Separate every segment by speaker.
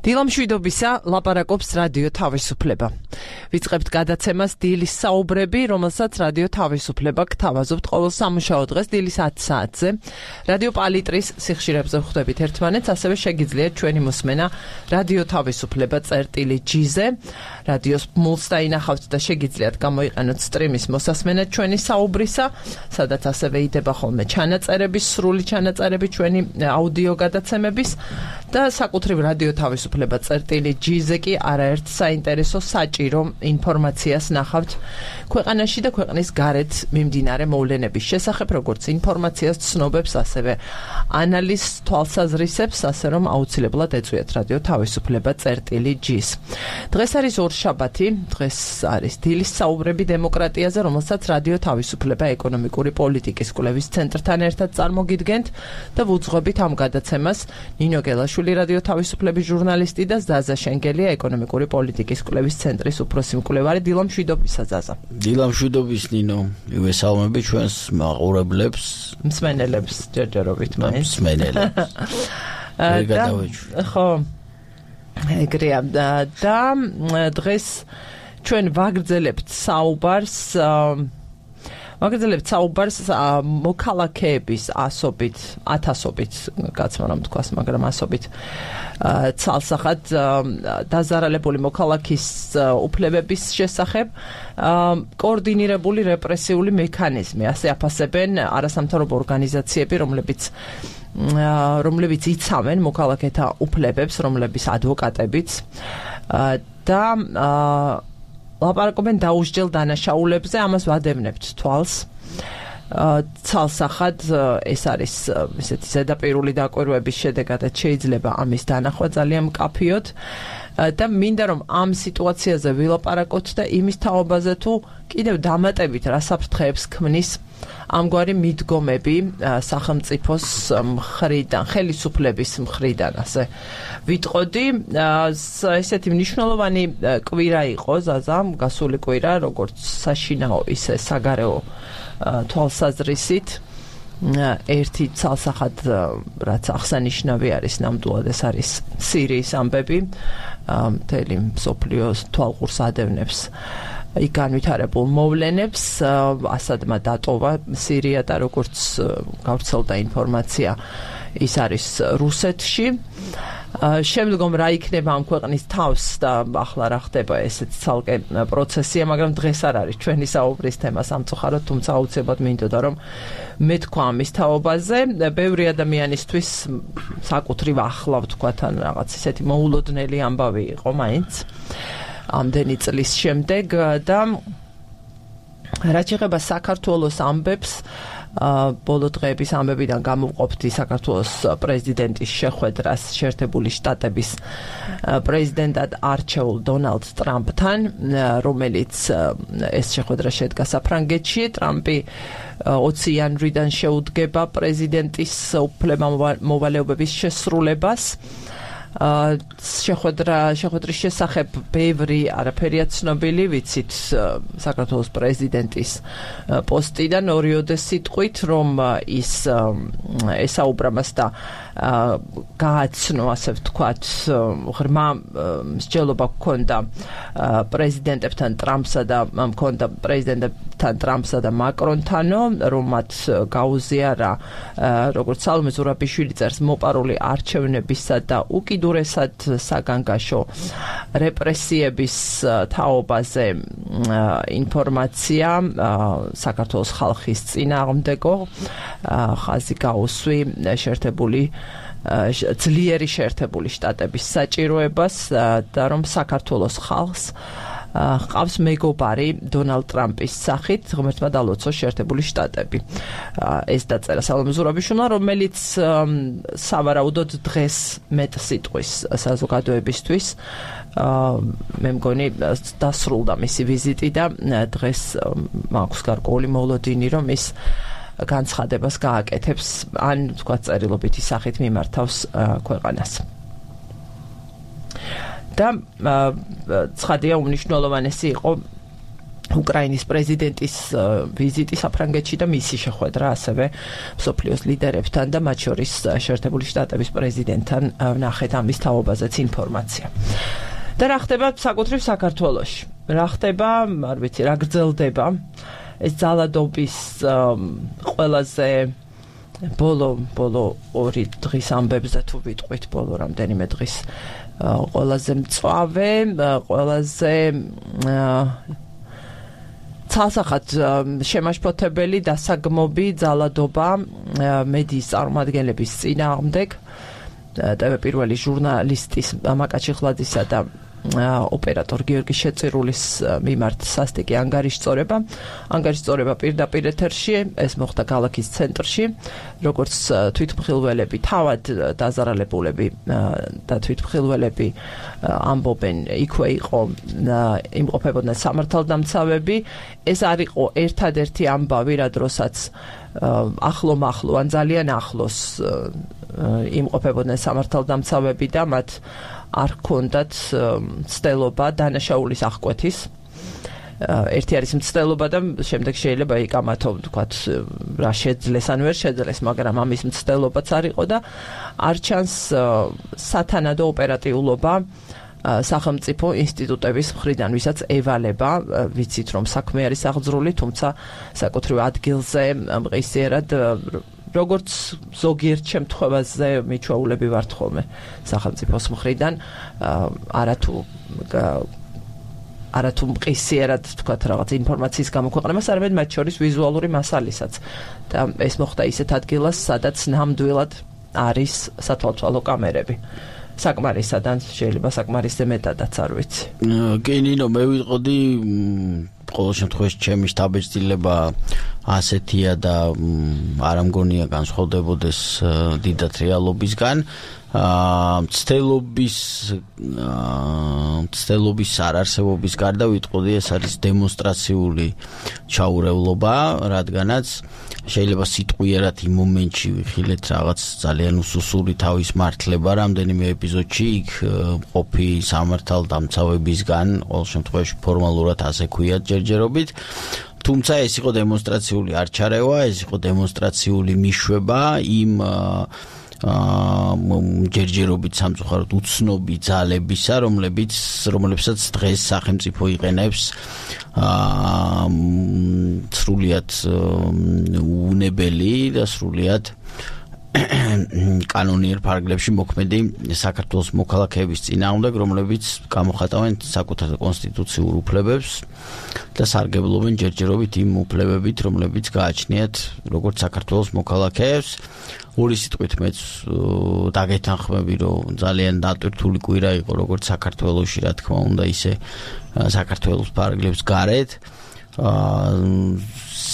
Speaker 1: დილამშვიდობისა ლაპარაკობს რადიო თავისუფლება. ვიწყებთ გადაცემას დილის საუბრები, რომელსაც რადიო თავისუფლება გთავაზობთ ყოველ სამუშაო დღეს დილის 10 საათზე. რადიო პალიტრის სიხშირებზე ვხვდებით ერთმანეთს, ასევე შეგიძლიათ ჩვენი მოსმენა რადიო თავისუფლება წერტილი-G-ზე. რადიოს მულს დაინახავთ და შეგიძლიათ გამოიყენოთ სტრიმის მოსასმენა ჩვენი საუბრისა, სადაც ასევე იდება ხოლმე ჩანაწერები, სრული ჩანაწერები ჩვენი აუდიო გადაცემების და საკუთრივ რადიო თავისუფლება წერტილი-G-ზე კი არაერთ საინტერესო საჭირო ინფორმაციას ნახავთ ქვეყანაში და ქვეყნის გარეთ მიმდინარე მოვლენების შესახებ, როგორც ინფორმაციას, ცნობებს, ასევე ანალიზს, თვალსაზრისებს, ასე რომ აუცილებლად ეწვიათ რადიო თავისუფლება წერტილი-G-ს. დღეს არის ორშაბათი, დღეს არის დილის საუბრები დემოკრატიაზე, რომელსაც რადიო თავისუფლება ეკონომიკური პოლიტიკის კვლევის ცენტრთან ერთად წარმოგიდგენთ და ვუძღვებით ამ გადაცემას ნინო გელაშვილი რადიო თავისუფლების ჟურნალისტი და ზაზა შენგელია ეკონომიკური პოლიტიკის კვლევის ცენტრის უფროსი მკვლევარი. დილამშვიდობისა ზაზა.
Speaker 2: დილამშვიდობის ნინო. მივესალმები ჩვენს მაყურებლებს,
Speaker 1: მსმენელებს ჯერჯერობით მაინც.
Speaker 2: მსმენელებს.
Speaker 1: ხო. ეგრეა და დღეს ჩვენ ვაგრძელებთ საუბარს მოქალაქეების ასობით, ათასობით, გაცმარამ თქვას, მაგრამ ასობით ცალსახად დაზარალებული მოქალაქის უფლებების შესახებ კოორდინირებული რეპრესიული მექანიზმი, ასე აფასებენ არასამთავრობო ორგანიზაციები, რომლებიც იცავენ მოქალაქეთა უფლებებს, რომლების ადვოკატებიც და ლაპარაკობენ დაუსჯელ დანაშაულებზე, ამას ვადევნებთ თვალს. ცალსახად ეს არის ესეთი ზედაპირული დაკვირვების შედეგადაც შეიძლება ამის დანახვა ძალიან მკაფიოდ და მინდა რომ ამ სიტუაციაზე ვილაპარაკოთ და იმის თაობაზე თუ კიდევ დამატებით რა საფრთხეებს ქმნის ამგვარი მიდგომები სახელმწიფოს მხრიდან, ხელისუფლების მხრიდან, ასე ვიტყოდი. ესეთი მნიშვნელოვანი კვირა იყო ზაზა, გასული კვირა, როგორც საშინაო, ისე საგარეო თვალსაზრისით. ერთი ცალსახად რაც აღსანიშნავი არის ნამდვილად, ეს არის სირიის ამბები, მთელი მსოფლიოს თვალყურს ადევნებს იქ განვითარებულ მოვლენებს. ასადმა დატოვა სირია და როგორც გავრცელდა ინფორმაცია, ის არის რუსეთში. შემდგომ რა იქნება ამ ქვეყნის თავს და ახლა რა ხდება, ესეც ცალკე პროცესია, მაგრამ დღეს არ არის ჩვენი საუბრის თემა სამწუხაროდ, თუმცა აუცილებლად მინდოდა რომ მეთქვა ამის თაობაზე. ბევრი ადამიანისთვის საკუთრივ ახლა ვთქვათ, ან რაღაც ისეთი მოულოდნელი ამბავი იყო მაინც ამდენი წლის შემდეგ და რაც ეხება საქართველოს ამბებს, ბოლო დღეების ამბებიდან გამოვყოფდი საქართველოს პრეზიდენტის შეხვედრას შეერთებული შტატების პრეზიდენტად არჩეულ დონალდ ტრამპთან, რომელიც ეს შეხვედრა შედგა საფრანგეთში. ტრამპი 20 იანვრიდან შეუდგება პრეზიდენტის უფლებამოვალეობების შესრულებას. შეხვედრის შესახებ ბევრი არაფერია ცნობილი, ვიცით საქართველოს პრეზიდენტის პოსტიდან ორიოდე სიტყვით, რომ ის ესაუბრა მას და გააცნო, ასე ვთქვათ, ღრმა მსჯელობა ჰქონდა პრეზიდენტებთან ტრამპსა და მაკრონთანო, რომ მათ გაუზიარა, როგორც სალომე ზურაბიშვილი წერს, მოპარული არჩევნებისა და უკიდურესად საგანგაშო რეპრესიების თაობაზე ინფორმაცია საქართველოს ხალხის წინააღმდეგო, ხაზი გაუსვი ძლიერი შეერთებული შტატების საჭიროებას და რომ საქართველოს ხალხს ყავს მეგობარი დონალდ ტრამპის სახით, ღმერთმა დალოცოს შეერთებული შტატები. ეს დაწერა სალომე ზურაბიშვილმა, რომელიც სავარაუდოდ დღეს მეტ სიტყვის საზოგადოებისთვის. მე მგონი დასრულდა მისი ვიზიტი და დღეს მაქვს გარკვეული მოლოდინი, რომ ის განცხადებას გააკეთებს, ან თქვა წერილობითი სახით მიმართავს ქვეყანას. და ცხადია უმნიშვნელოვანესი იყო უკრაინის პრეზიდენტის ვიზიტი საფრანგეთში და მისი შეხვედრა ასევე მსოფლიოს ლიდერებთან და მათ შორის შეერთებული შტატების პრეზიდენტთან ნახეთ ამის თაობაზეც ინფორმაცია. და რა ხდება საკუთრივ საქართველოში? რა ხდება, არ ვიცი, რა გრძელდება ეს ძალადობის ყველაზე ბოლო 2 დღის ამბებზე თუ ვიტყვით, ბოლო რამდენიმე დღის ყველაზე მწვავე, ყველაზე ცალსახად შემაშფოთებელი დასაგმობი ძალადობა მედიის წარმომადგენლების წინააღმდეგ TV პირველი ჟურნალისტის მაკაჩი ხლაძისა და ოპერატორ გიორგი შეწირულის მიმართ სასტიკი ანგარიშწორება პირდაპირ ეთერში, ეს მოხდა ქალაქის ცენტრში, როგორც თვითმხილველები, თავად დაზარალებულები და თვითმხილველები ამბობენ, იქვე იყო იმყოფებოდნენ სამართალდამცავები. ეს არ იყო ერთადერთი ამბავი, რა დროსაც ახლო ან ძალიან ახლოს იმყოფებოდნენ სამართალდამცავები და მათ არ ჰქონდათ მცდელობა დანაშაულის აღკვეთის. ერთი არის მცდელობა და შემდეგ შეიძლება იკამათო, ვთქვათ, რა შეძლეს ან ვერ შეძლეს, მაგრამ ამის მცდელობაც არ იყო და არ ჩანს სათანადო ოპერატიულობა სახელმწიფო ინსტიტუტების მხრიდან, ვისაც ევალება, ვიცით რომ საქმე არის აღძრული, თუმცა საკუთრივ ადგილზე მყისიერად როგორც ზოგიერთ შემთხვევაზე მიჩვეულები ვართ ხოლმე სახელმწიფოს მხრიდან, არათუ მყისიერად თქვათ რაღაც ინფორმაციის გამოქვეყნებას, არამედ მათ შორის ვიზუალური მასალისაც. და ეს მოხდა ისეთ ადგილას, სადაც ნამდვილად არის სათვალთვალო კამერები. საკმარისადან შეიძლება საკმარისზე მეტადაც არ ვიცი.
Speaker 2: კი ნინო, მე ვიტყოდი ყოველ შემთხვევაში ჩემი შთაბეჭდილება ასეთია და არ ამგონია განსხვავდებოდეს დიდად რეალობისგან. მცდელობის არარსებობის გარდა ვიტყოდი ეს არის დემონსტრაციული ჩაურევლობა, რადგანაც შეიძლება სიტყვიერად იმ მომენტში ვიხილეთ რაღაც ძალიან უსუსური თავის მართლება რამდენიმე ეპიზოდში იქ ყოფი სამართალდამცავებისგან, ყოველ შემთხვევაში ფორმალურად ასე ქვიათ ჯერჯერობით. თუმცა ეს იყო დემონსტრაციული არჩარევა, ეს იყო დემონსტრაციული მიშვება იმ ჯერჯერობით სამწუხაროდ უცნობი ძალებისა, რომლებსაც დღეს სახელმწიფო იყენებს სრულიად უნებელი და სრულიად კანონიერ ფარგლებში მოქმედი საქართველოს მოქალაქეების წინააღმდეგ, რომლებიც გამოხატავენ საკუთარ კონსტიტუციურ უფლებებს და სარგებლობენ ჯერჯერობით იმ უფლებებით, რომლებიც გააჩნიათ როგორც საქართველოს მოქალაქეებს. ორი სიტყვით მეც დაგეთანხმები, რომ ძალიან დატვირთული კვირა იყო როგორც საქართველოში, რა თქმა უნდა, ისე საქართველოს ფარგლებს გარეთ.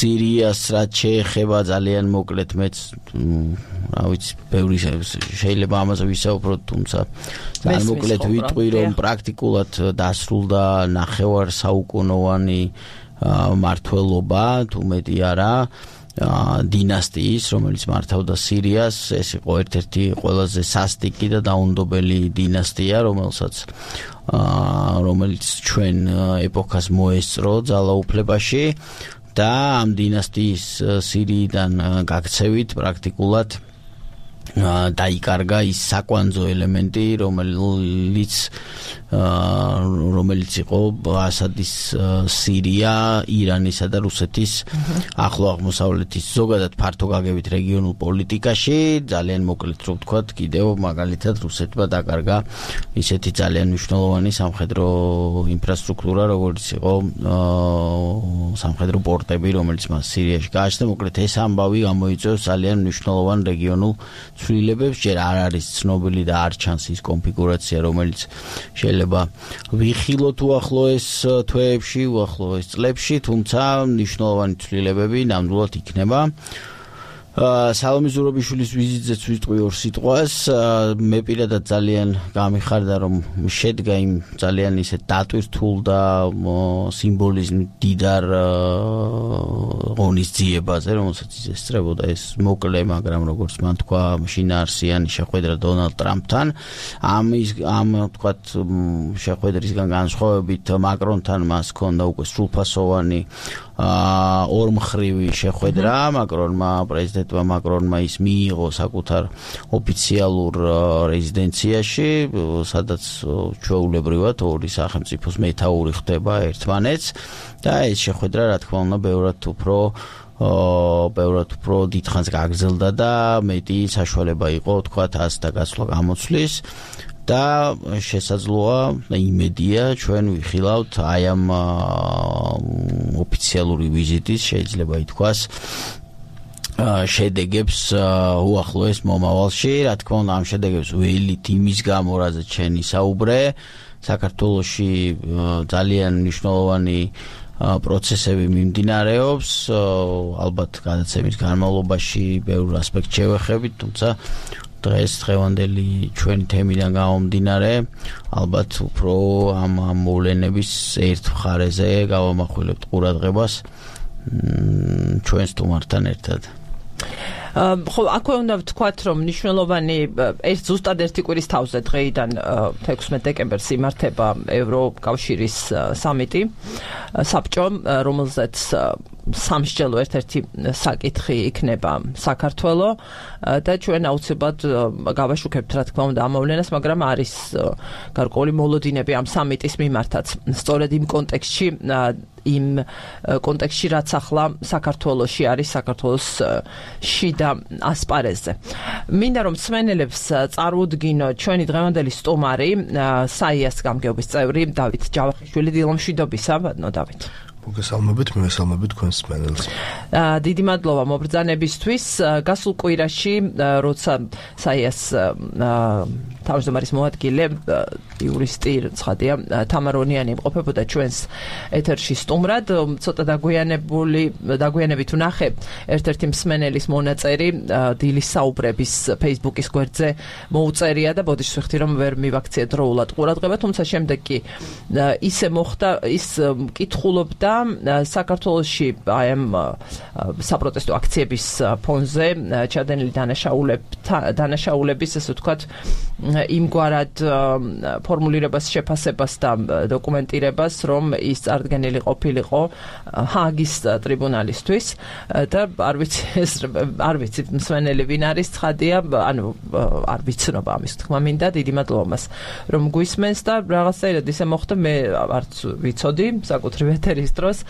Speaker 2: სირიას რაც შეეხება ძალიან მოკლედ მეც რა ვიცი, ბევრი შეიძლება ამაზე ვისაუბროთ, თუმცა ძალიან მოკლედ ვიტყვი, რომ პრაქტიკულად დასრულდა ნახევარსაუკუნოვანი მმართველობა, თუ მეტი არა, დინასტიის, რომელიც მართავდა სირიას. ეს იყო ერთ-ერთი ყველაზე სასტიკი და დაუნდობელი დინასტია, რომელიც ჩვენ ეპოქას მოესწრო ძალაუფლებაში და ამ დინასტიის სირიიდან გაქცევით პრაქტიკულად დაიკარგა ის საკვანძო ელემენტი, რომელიც იყო ასადის სირია, ირანისა და რუსეთის ახლო აღმოსავლეთის ზოგადად ფართო გაგებით რეგიონულ პოლიტიკაში. ძალიან მოკლედ რო ვთქვათ, კიდევ მაგალითად რუსეთმა დაკარგა ისეთი ძალიან მნიშვნელოვანი სამხედრო ინფრასტრუქტურა, როგორც იყო სამხედრო პორტები, რომელიც მას სირიაში გააჩნდა. მოკლედ ეს ამბავი გამოიწვევს ძალიან მნიშვნელოვან რეგიონულ ცვლილებებს. ჯერ არ არის ცნობილი და არ ჩანს ის კონფიგურაცია, რომელიც შეიძლება ვიხილოთ უახლოეს თვეებში, უახლოეს წლებში, თუმცა მნიშვნელოვანი ცვლილებები ნამდვილად იქნება. სალომე ზურაბიშვილის ვიზიტზეც ვიტყვი ორ სიტყვას. მე პირადად ძალიან გამიხარდა, რომ შედგა იმ ძალიან ისე დატვირთულ და სიმბოლიზმ დიდარ ღონისძიებაზე, რომელსაც ესწრებოდა ეს მოკლე, მაგრამ როგორც მან თქვა, შინაარსიანი შეხვედრა დონალდ ტრამპთან. ამ თქვათ შეხვედრისგან განსხვავებით მაკრონთან მას ჰქონდა უკვე სრულფასოვანი ორმხრივი შეხვედრა. პრეზიდენტმა მაკრონმა ის მიიღო საკუთარ ოფიციალურ რეზიდენციაში, სადაც ჩვეულებრივად ორი სახელმწიფოს მეთაური ხდება ერთმანეთს და ეს შეხვედრა, რა თქმა უნდა, ბევრად უფრო დიდხანს გაგრძელდა და მეტი საშუალება იყო, თქვათ, ას და გასვლა გამოცვლის. და შესაძლოა და იმედია ჩვენ ვიხილავთ აი ამ ოფიციალური ვიზიტის შეიძლება ითქვას შედეგებს უახლოეს მომავალში. რა თქმა უნდა, ამ შედეგებს ველით იმის გამო, რაზეც შენ ისაუბრე, საქართველოში ძალიან მნიშვნელოვანი პროცესები მიმდინარეობს, ალბათ გადაცემის განმავლობაში ბევრ ასპექტს შევეხებით, თუმცა დღევანდელი ჩვენი თემიდან გამომდინარე, ალბათ უფრო ამ მოვლენების ერთ მხარეზე გავამახვილებთ ყურადღებას ჩვენ სტუმართან ერთად.
Speaker 1: ხო, აქვე უნდა ვთქვათ, რომ მნიშვნელოვანი ზუსტად ერთი კვირის თავზე დღეიდან 16 დეკემბერს იმართება ევროკავშირის სამიტი, საბჭო, რომელზეც სამსჯელო ერთ-ერთი საკითხი იქნება საქართველო და ჩვენ აუცილებლად გავაშუქებთ, რა თქმა უნდა, ამ მოვლენას, მაგრამ არის გარკვეული მოლოდინები ამ სამიტის მიმართაც. სწორედ იმ კონტექსტში, რაც ახლა საქართველოში არის, საქართველოს შიდა ასპარეზზე. მინდა რომ მსმენელებს წარუდგინო ჩვენი დღევანდელი სტუმარი, საიას გამგეობის წევრი დავით ჯავახიშვილი. დილომშვიდობისა, დავით.
Speaker 3: მოგესალმებით, მივესალმებით თქვენს მსმენელს.
Speaker 1: დიდი მადლობა მობრძანებისთვის. გასულ კვირაში, როცა საიას თავმჯდომარის მოადგილე იურისტი ცხადია თამარონიანი იმყოფებოდა ჩვენს ეთერში სტუმრად, ცოტა დაგვიანებით ვნახე ერთ-ერთი მსმენელის მონაწერი დილის საუბრების Facebook-ის გვერდზე მოუწერია და ბოდიშს ვიხდი, რომ ვერ მივაქცია დროულად ყურადღება, თუმცა შემდეგ კი ისე მოხდა, ის კითხულობდა საქართველოში აი ამ საპროტესტო აქციების ფონზე ჩადენილი დანაშაულების, ასე ვთქვათ, იმგვარად ფორმულირებას, შეფასებას და დოკუმენტირებას, რომ ის წარდგენილი ყოფილიყო ჰააგის ტრიბუნალისთვის და არ ვიცი მსმენელი ვინ არის, ცხადია, ანუ არ ვიცნობა ამის თქმა მინდა, დიდი მადლობა მას რომ გვისმენს და რაღაცაირად ისე მოხდა, მე არც ვიცოდი საკუთრივ ეთერის დროს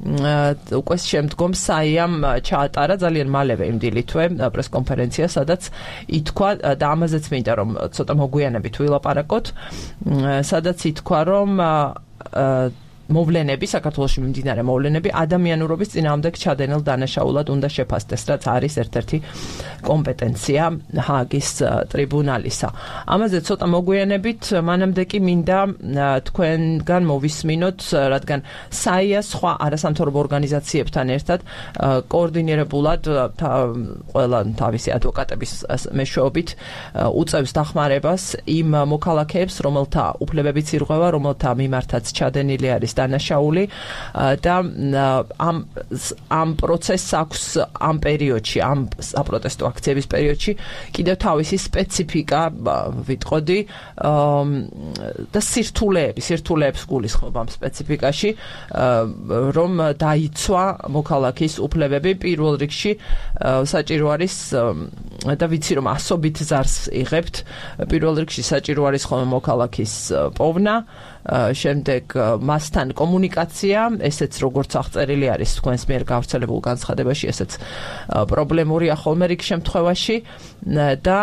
Speaker 1: უკვე შემდგომ საიამ ჩაატარა ძალიან მალევე იმ დილითვე პრესკონფერენცია, სადაც ითქვა და ამაზეც მინდა რომ ცოტა მოგვიანებით ვილაპარაკოთ, სადაც ითქვა რომ მოვლენები, საქართველოში მიმდინარე მოვლენები ადამიანურობის წინააღმდეგ ჩადენილ დანაშაულად უნდა შეფასდეს, რაც არის ერთ-ერთი კომპეტენცია ჰააგის ტრიბუნალისა. ამაზე ცოტა მოგვიანებით, მანამდე კი მინდა თქვენგან მოვისმინოთ, რადგან საია სხვა არასამთავრობო ორგანიზაციებთან ერთად კოორდინირებულად ყველა თავისი ადვოკატების მეშვეობით უწევს დახმარებას იმ მოქალაქეებს, რომელთა უფლებებიც ირღვევა, რომელთა მიმართაც ჩადენილი არის დანაშაული და ამ პროცესს აქვს ამ პერიოდში, ამ საპროტესტო აქციების პერიოდში კიდევ თავისი სპეციფიკა ვიტყოდი და სირთულეებს გულისხმობ ამ სპეციფიკაში, რომ დაიცვა მოქალაქის უფლებები პირველ რიგში საჭირო არის და ვიცი რომ ასობით ზარს იღებთ, პირველ რიგში საჭირო არის ხოლმე მოქალაქის პოვნა, შემდეგ მასთან კომუნიკაცია, ესეც როგორც აღწერილი არის თქვენს მიერ გავრცელებულ განცხადებაში, ესეც პრობლემურია ხოლმე რიგ შემთხვევაში და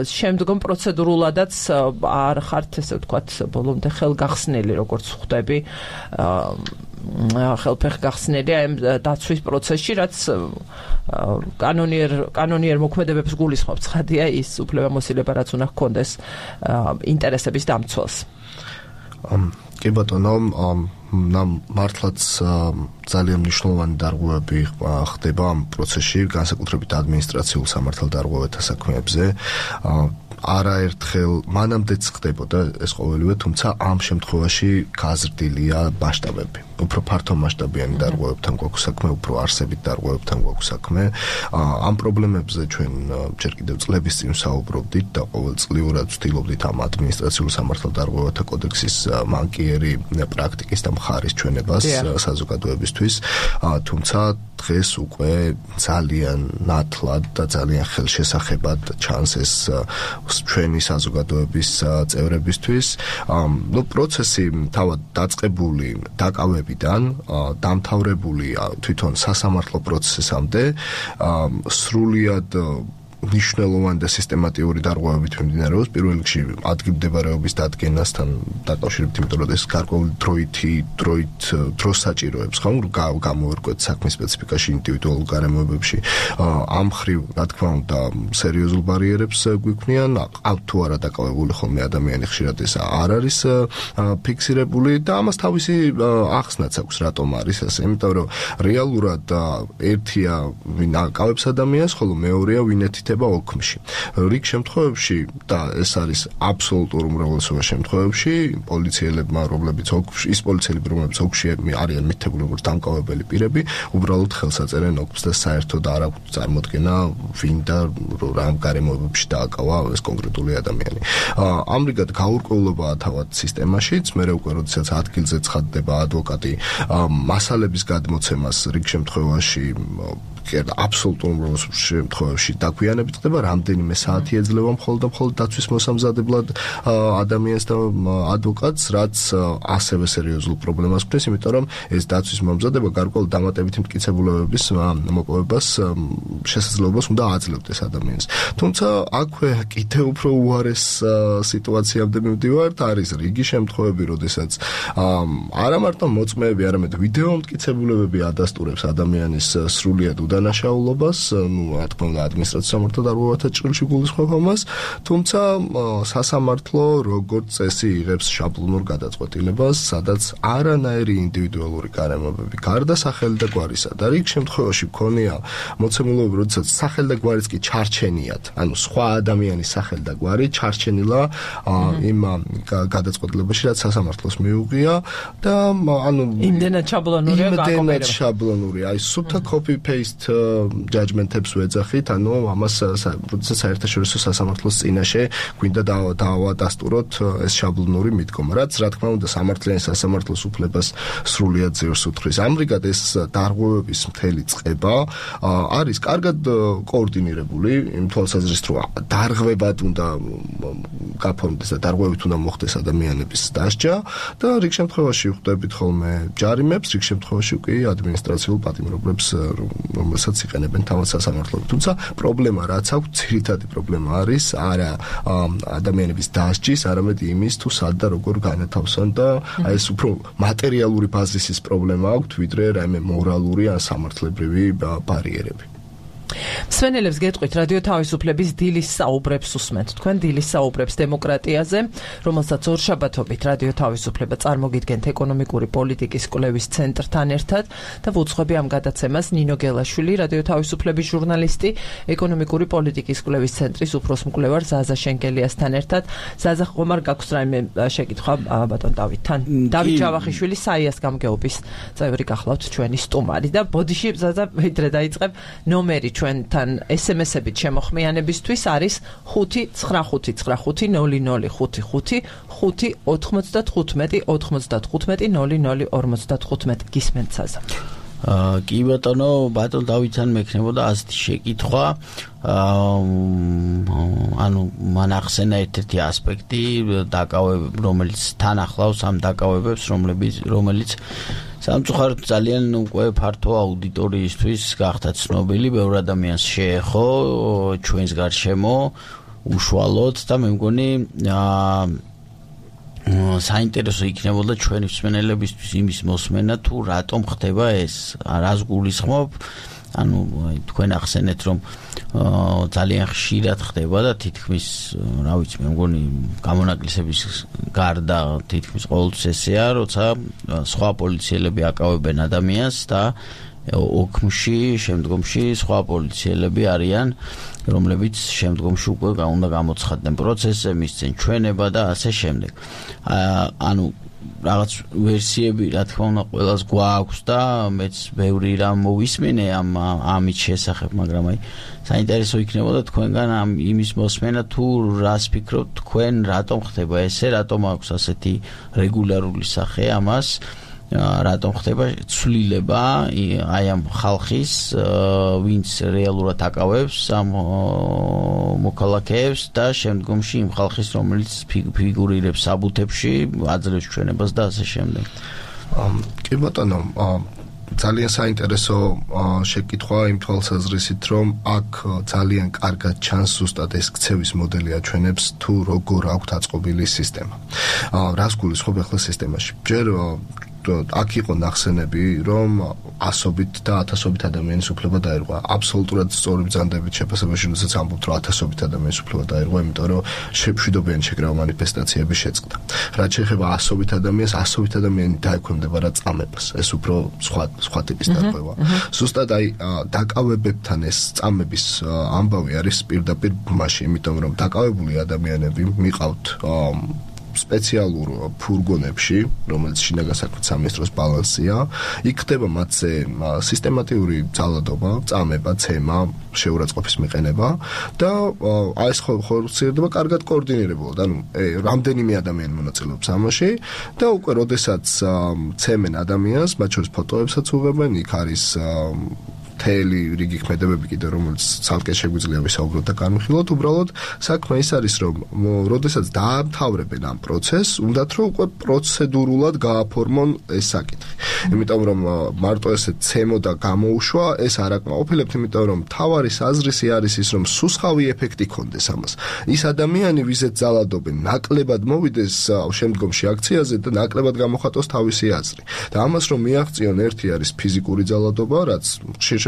Speaker 1: შემდგომ პროცედურულადაც არ ხართ, ესე ვთქვათ, ბოლომდე ხელგახსნილი, როგორც ხვდები, ხელფეხგახსნილი ამ დაცვის პროცესში, რაც კანონიერ მოქმედებებს გულისხმობს, ხადია ის უფლებამოსილება, რაც უნდა ჰქონდეს ინტერესების დამცველს.
Speaker 3: კი ბატონო, მართლაც ძალიან მნიშვნელოვანი დარღვევები ხდება ამ პროცესში, განსაკუთრებით ადმინისტრაციულ სამართალდარღვევათა საქმეებზე. არაერთხელ მანამდეც ხდებოდა ეს ყოველივე, თუმცა ამ შემთხვევაში გაზრდილია მასშტაბები. უფრო ფართო მასშტაბიანი დარღვევებთან გვაქვს საქმე, უფრო არსებით დარღვევებთან გვაქვს საქმე. ამ პრობლემებზე ჩვენ ჯერ კიდევ წლების წინ საუბრობდით და ყოველწლიურად ვცდილობდით ამ ადმინისტრაციულ სამართალდარღვევათა კოდექსის მანკიერი პრაქტიკის და მხარის ჩვენებას საზოგადოებისთვის, თუმცა დღეს უკვე ძალიან ნათლად და ძალიან ხელშესახებად ჩანს ეს ჩვენი საზოგადოების წევრებისთვის. პროცესი თავად დაწყებული დაკავებიდან დამთავრებული თვითონ სასამართლო პროცესამდე სრულიად მნიშვნელოვანი და სისტემატიური დარღვევებით მიმდინარეობს. პირველ რიგში ადგილმდებარეობის დადგენასთან დაკავშირებით, იმიტომ რომ ეს გარკვეული დროს საჭიროებს, ხომ, გამოერკვეთ საქმის სპეციფიკაში, ინდივიდუალურ გარემოებებში. ამ მხრივ, რა თქმა უნდა, სერიოზულ ბარიერებს გვიქმნიან, ყავთ თუ არა დაკავებული ხოლმე ადამიანი, ხშირად ეს არ არის ფიქსირებული და ამას თავისი ახსნაც აქვს, რატომ არის ასე. იმიტომ რომ რეალურად ერთია ვინ აკავებს ადამიანს, ხოლო მეორეა ვინ ეთითება ოქმში. რიგ შემთხვევებში და ეს არის აბსოლუტურ უმრავლესობა შემთხვევებში პოლიციელებმა, რომლებიც ოქმში, ის პოლიციელები, რომლებიც ოქმში არიან მითითებული როგორც დამკავებელი პირები, უბრალოდ ხელს აწერენ ოქმს და საერთოდ არ აქვს წარმოდგენა ვინ და რა გარემოებებში დააკავა ეს კონკრეტული ადამიანი. ამრიგად გაურკვევლობაა თავად სისტემაშიც, მერე უკვე როდესაც ადგილზე ცხადდება ადვოკატი მასალების გადმოცემას რიგ შემთხვევაში აბსოლუტურ შემთხვევაში დაგვიანებით ხდება, რამდენიმე საათი ეძლევა მხოლოდ და მხოლოდ დაცვის მოსამზადებლად ადამიანს და ადვოკატს, რაც ასევე სერიოზულ პრობლემას ქმნის, იმიტომ რომ ეს დაცვის მომზადება გარკვეულ დამატებითი მტკიცებულებების მოპოვებას შესაძლებლობას უნდა აძლევდეს ადამიანს. თუმცა აქვე კიდევ უფრო უარეს სიტუაციამდე მივდივართ, არის რიგი შემთხვევები, როდესაც არა მარტო მოწმეები, არამედ ვიდეო მტკიცებულებები ადასტურებს ადამიანის სრულიად დანაშაულობას, რა თქმა უნდა, ადმინისტრაციულ სამართალდარღვევათა ჭრილში გულისხმობ ამას, თუმცა სასამართლო როგორც წესი იღებს შაბლონურ გადაწყვეტილებას, სადაც არანაირი ინდივიდუალური გარემოებები გარდა სახელი და გვარისა და რიგ შემთხვევაში მქონია მოცემულობები, როდესაც სახელი და გვარიც კი ჩარჩენიათ, ანუ სხვა ადამიანის სახელი და გვარი ჩარჩენილა იმ გადაწყვეტილებაში, რაც სასამართლოს მიუღია და ანუ იმდენად შაბლონურია, აი სუფთა copy paste judgment-ებს ვეძახით, ანუ ამას როდესაც საერთაშორისო სასამართლოს წინაშე გვინდა დავადასტუროთ ეს შაბლონური მიდგომა, რაც რა თქმა უნდა სამართლიანი სასამართლოს უფლებას სრულიად ძირს უთხრის. ამრიგად ეს დარღვევების მთელი წყება არის კარგად კოორდინირებული, იმ თვალსაზრისით, რომ დარღვევად უნდა გაფორმდეს და დარღვევით უნდა მოხდეს ადამიანების დასჯა და რიგ შემთხვევაში ხვდებით ხოლმე ჯარიმებს, რიგ შემთხვევაში კი ადმინისტრაციულ პატიმრობებს, რომელსაც იყენებენ თავად სასამართლოები. თუმცა პრობლემა რაც აქვს, ძირითადი პრობლემა არის არა ადამიანების დასჯის, არამედ იმის თუ სად და როგორ განათავსონ და აი ეს უფრო მატერიალური ბაზისის პრობლემა აქვს, ვიდრე რაიმე მორალური ან სამართლებრივი ბარიერები.
Speaker 1: მსმენელებს გეტყვით რადიო თავისუფლების დილის საუბრებს უსმენთ. თქვენ დილის საუბრებს დემოკრატიაზე, რომელსაც ორშაბათობით რადიო თავისუფლება წარმოგიდგენთ ეკონომიკური პოლიტიკის კვლევის ცენტრთან ერთად და ვუძღვები ამ გადაცემას ნინო გელაშვილი, რადიო თავისუფლების ჟურნალისტი, ეკონომიკური პოლიტიკის კვლევის ცენტრის უფროს მკვლევარ ზაზა შენგელიასთან ერთად. ზაზა, ხომ არ გაქვს რაიმე შეკითხვა ბატონ დავითთან? დავით ჯავახიშვილი საიას გამგეობის წევრი გახლავთ ჩვენი სტუმარი და ბოდიში ზაზა ვიდრე დაიწყებ ნომერი ჩვენთან SMS-ებით შემოხმიანებისთვის არის 595-595-95-00-55 გისმენთ საზა.
Speaker 2: კი ბატონო, ბატონ დავითთან მექნებოდა ასეთი შეკითხვა, ანუ მან ახსენა ერთ-ერთი ასპექტი, რომელიც თან ახლავს ამ დაკავებებს, რომელიც სამწუხაროდ ძალიან უკვე ფართო აუდიტორიისთვის გახდა ცნობილი, ბევრ ადამიანს შეეხო ჩვენს გარშემო უშუალოდ და მე მგონი საინტერესო იქნებოდა ჩვენი მსმენელებისთვის იმის მოსმენა, თუ რატომ ხდება ეს, რას გულისხმობ ანუ თქვენ ახსენეთ რომ ძალიან ხშირად ხდება და თითქმის რა ვიცი მე მგონი გამონაკლისების გარდა თითქმის ყოველთვის ესეა როცა სხვა პოლიციელები აკავებენ ადამიანს და ოქმში შემდგომში სხვა პოლიციელები არიან რომლებიც შემდგომში უკვე უნდა გამოცხადდნენ პროცესზე მისცენ ჩვენება და ასე შემდეგ ანუ რაღაც ვერსიები რა თქმა უნდა ყველას გვაქვს და მეც ბევრი რამ მოვისმენე ამით შესახებ მაგრამ აი საინტერესო იქნებოდა თქვენგან ამ იმის მოსმენა თუ რას ფიქრობთ თქვენ რატომ ხდება ესე რატომ აქვს ასეთი რეგულარული სახე ამას რატომ ხდება ცვლილება აი ამ ხალხის ვინც რეალურად აკავებს ამ მოქალაქეებს და შემდგომში იმ ხალხის რომელიც ფიგურირებს საბუთებში აძლევს ჩვენებას და ასე შემდეგ
Speaker 3: კი ბატონო ძალიან საინტერესო შეკითხვა იმ თვალსაზრისით რომ აქ ძალიან კარგად ჩანს ზუსტად ეს ქცევის მოდელი აჩვენებს თუ როგორ აქვს აწყობილი სისტემა რას გულისხმობ ახლა სისტემაში ჯერ აქ იყო ნახსენები რომ ასობით და ათასობით ადამიანის უფლება დაირღვა აბსოლუტურად სწორი ბრძანდებით შეფასებაში როდესაც ამბობთ რომ ათასობით ადამიანის უფლება დაირღვა იმიტომ რომ მშვიდობიანი შეკრება მანიფესტაციები შეწყდა რაც შეეხება ასობით ადამიანი დაექვემდებარა რა წამებას ეს უფრო სხვა ტიპის დარღვევა ზუსტად აი დაკავებებთან ეს წამების ამბავი არის პირდაპირ ბმაში იმიტომ რომ დაკავებული ადამიანები მიყავთ სპეციალურ ფურგონებში, რომელიც შინაგან საქმეთა სამინისტროს ბალანსია, იქ ხდება მათზე სისტემატიური ძალადობა, წამება, ცემა, შეურაცხყოფის მიყენება და აი ეს ხორციელდება კარგად კოორდინირებულად. ანუ რამდენიმე ადამიანი მონაწილეობს ამაში და უკვე როდესაც ცემენ ადამიანს, მათ შორის ფოტოებსაც უღებენ, იქ არის თელი რიგი ქმედებები კიდე რომელიც ცალკე შეგვიძლია ვისაუბროთ და განვიხილოთ უბრალოდ საქმე ის არის რომ როდესაც დაამთავრებენ ამ პროცესს უნდათ რომ უკვე პროცედურულად გააფორმონ ეს საკითხი იმიტომ რომ მარტო ესე ცემო და გამოუშვა ეს არ აკმაყოფილებთ იმიტომ რომ თავარის აზრისი არის ის რომ სუსხავი ეფექტი ქონდეს ამას ის ადამიანი ვიზეთ ძალადობენ ნაკლებად მოვიდეს შემდგომში აქციაზე და ნაკლებად გამოხატოს თავისი აზრი და ამას რომ მიაღწიონ ერთი არის ფიზიკური ძალადობა რაც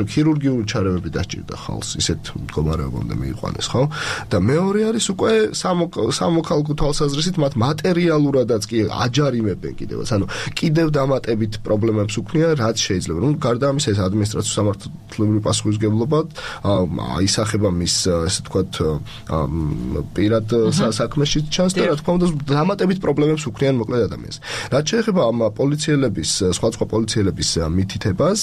Speaker 3: ქირურგიული ჩარევები დაჭირდა ხალხს ისეთ მდგომარეობამდე მიიყვანეს ხო და მეორე არის უკვე სამოქალაქო თვალსაზრისით მათ მატერიალურადაც კი აჯარიმებენ კიდევაც ანუ კიდევ დამატებით პრობლემებს უქმნიან რაც შეიძლება რომ გარდა ამისა ეს ადმინისტრაციული სამართლებრივი პასუხისმგებლობა აისახება მის ესე ვთქვათ პირად საქმეში ჩანს და რა თქმა უნდა დამატებით პრობლემებს უქმნიან მოკლედ ადამიანს რაც შეეხება ამ პოლიციელების სხვა პოლიციელების მითითებას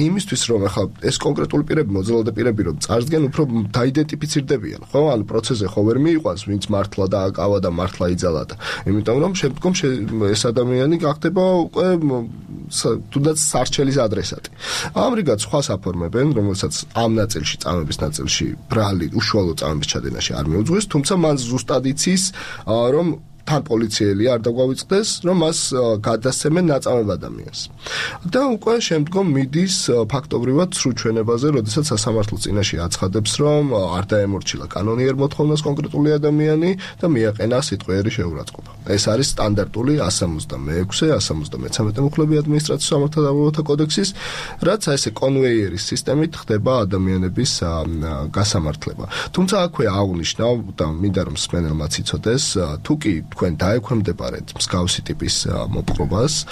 Speaker 3: იმისთვის რომ ახლა ეს კონკრეტული პირები მოძრაობა პირები რომ წარსდგენ უფრო დაიდენტიფიცირდებიან ხო ანუ პროცესზე ხო ვერ მიიყვანს ვინც მართლა დააკავა და მართლა იძალა და იმიტომ რომ შემდგომ ეს ადამიანი გახდება უკვე თუნდაც სარჩელის ადრესატი ამრიგად სხვას აფორმებენ რომელსაც ამ ნაწილში წამების ნაწილში ბრალი უშუალო წამების ჩადენაში არ მიუძღვის თუმცა მან ზუსტად იცის რომ თან პოლიციელი არ დაგვავიწყდეს, რომ მას გადასცემენ ნაწამებ ადამიანს. და უკვე შემდგომ მიდის ფაქტობრივად სრულ ჩვენებაზე, როდესაც სასამართლო წინაშე აცხადებს, რომ არ დაემორჩილა კანონიერ მოთხოვნას კონკრეტული ადამიანი და მიაყენა სიტყვიერი შეურაცხყოფა. ეს არის სტანდარტული 166-173 მუხლები ადმინისტრაციული სამართალთა დაბმობათა კოდექსის, რაც ესე კონვეიერის სისტემით ხდება ადამიანების გასამართლება. თუმცა აქვე აღნიშნავ და მინდა რომ მსმენელმაც იცოდეს, თუკი თქვენ დაექვემდებარეთ მსგავსი ტიპის მოპყრობას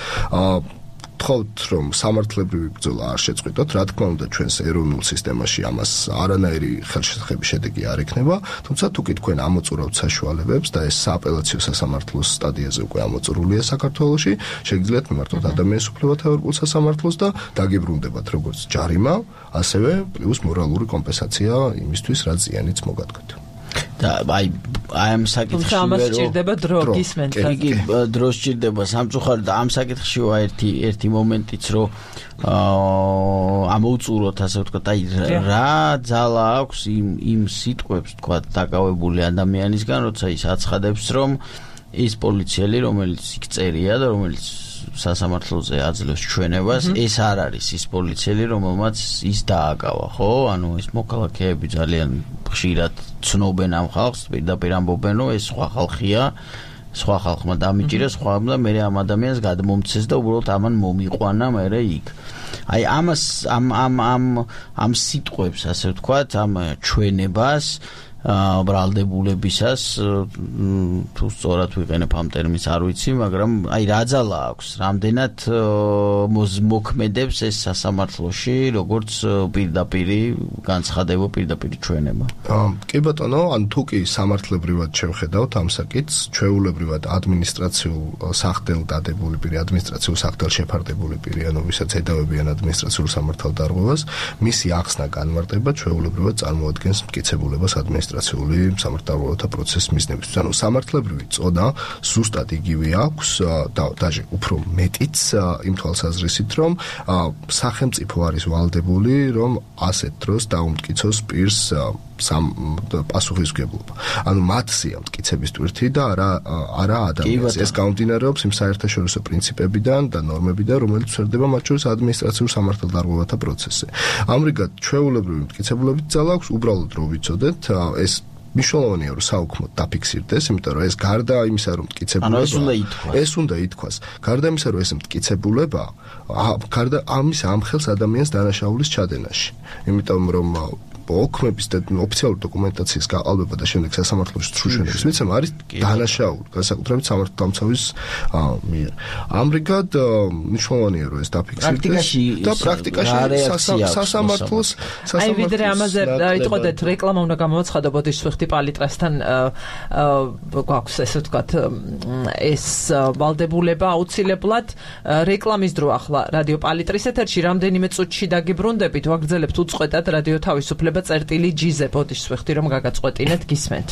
Speaker 3: თხოვთ რომ სამართლებრივი ბრძოლა არ შეწყვიტოთ რა თქმა უნდა ჩვენს ეროვნულ სისტემაში ამას არანაირი ხელშესახების შედეგი არ ექნება თუმცა თუკი თქვენ ამოწურავთ საშუალებებს და ეს სააპელაციო სასამართლოს სტადიაზე უკვე ამოწურულია საქართველოში შეგიძლიათ მიმართოთ ადამიანის უფლებათა ევროპულ სასამართლოს და დაგიბრუნდებათ როგორც ჯარიმა ასევე პლუს მორალური კომპენსაცია იმისთვის რაც ზიანიც მოგადგეთ
Speaker 2: და აი ამ საკითხში
Speaker 1: ამას სჭირდება დრო გისმენთ
Speaker 2: იგი დრო სჭირდება სამწუხაროდ და ამ საკითხში ერთი მომენტიც რომ ამოუწუროთ ასე ვთქვათ აი რა ძალა აქვს იმ სიტყვებს ვთქვათ დაკავებული ადამიანისგან როცა ის აცხადებს რომ ის პოლიციელი რომელიც იქ წერია და რომელიც სასამართლოზე აძლევს ჩვენებას ეს არ არის ის პოლიციელი რომელმაც ის დააკავა ხო ანუ ეს მოქალაქეები ძალიან ხშირად ცნობენ ამ ხალხს პირდაპირ ამბობენ რომ ეს სხვა ხალხია სხვა ხალხმა დამიჭირა სხვა და მე ამ ადამიანს გადმომცეს და უბრალოდ ამან მომიყვანა მე იქ აი ამას ამ სიტყვებს, ასე ვთქვათ, ამ ჩვენებას ბრალდებულებისას თუ სწორად ვიყენებ ამ ტერმინს არ ვიცი, მაგრამ აი რა ძალა აქვს, რამდენად მოქმედებს ეს სასამართლოში, როგორც პირდაპირი განცხადება, პირდაპირი ჩვენება.
Speaker 3: კი ბატონო, ან თუ კი სამართლებრივად შევხედავთ ამ საკითხს, ჩვეულებრივად ადმინისტრაციულ სახდელ დადებული პირი, ადმინისტრაციულ სახდელ შეფარდებული პირი, ანუ ვისაც ედავებიან ადმინისტრაციულ სამართალ დარღვევას, მისი ახსნა განმარტება ჩვეულებრივად წარმოადგენს მტკიცებულებას ადმინისტრაციული სამართალთა პროცესის მიზნებისთვის. ანუ სამართლებრივი წოდა ზუსტად იგივე აქვს და დაჟე უფრო მეტიც იმ თვალსაზრისით, რომ სახელმწიფო არის ვალდებული, რომ ასეთ დროს დაუმტკიცოს პირს პასუხისმგებლობა. ანუ მათსია მტკიცების ტვირთი და არა ადამიანს. ეს გამომდინარეობს იმ საერთაშორისო პრინციპებიდან და ნორმებიდან, რომელიც ვრცელდება მათ შორის ადმინისტრაციულ სამართალდარღვევათა პროცესზე. ამრიგად, ჩვეულებრივი მტკიცებულებით ძალა აქვს, უბრალოდ რო ვიცოდეთ, ეს მნიშვნელოვანია რომ საუქმოდ დაფიქსირდეს, იმიტომ რომ ეს გარდა იმისა რომ მტკიცებულება ეს უნდა ითქვას. გარდა იმისა რომ ეს მტკიცებულება გარდა ამისა ამხელს ადამიანს დანაშაულის ჩადენაში. იმიტომ რომ ოქმების და ოფიციალური დოკუმენტაციის გაყალბება და შემდეგ სასამართლოში სრულშენების მიცემა არის დანაშაული, განსაკუთრებით სამართალდამცავის მიერ. ამრიგად მნიშვნელოვანია რომ ეს დაფიქსირდეს და პრაქტიკაში სასამართლოს
Speaker 1: აი ვიდრე ამაზე იტყოდეთ რეკლამა უნდა გამოვაცხადო ბოდიშ ვიხდი პალიტრასთან გვაქვს ესე ვთქვათ ეს ვალდებულება აუცილებლად რეკლამის დრო ახლა რადიო პალიტრის ეთერში რამდენიმე წუთში დაგიბრუნდებით ვაგრძელებთ უწყვეტად რადიო თავისუფლება წერტილი ჯიზე ბოდიშს ვეხდი რომ გაგაწყვეტინეთ გისმენთ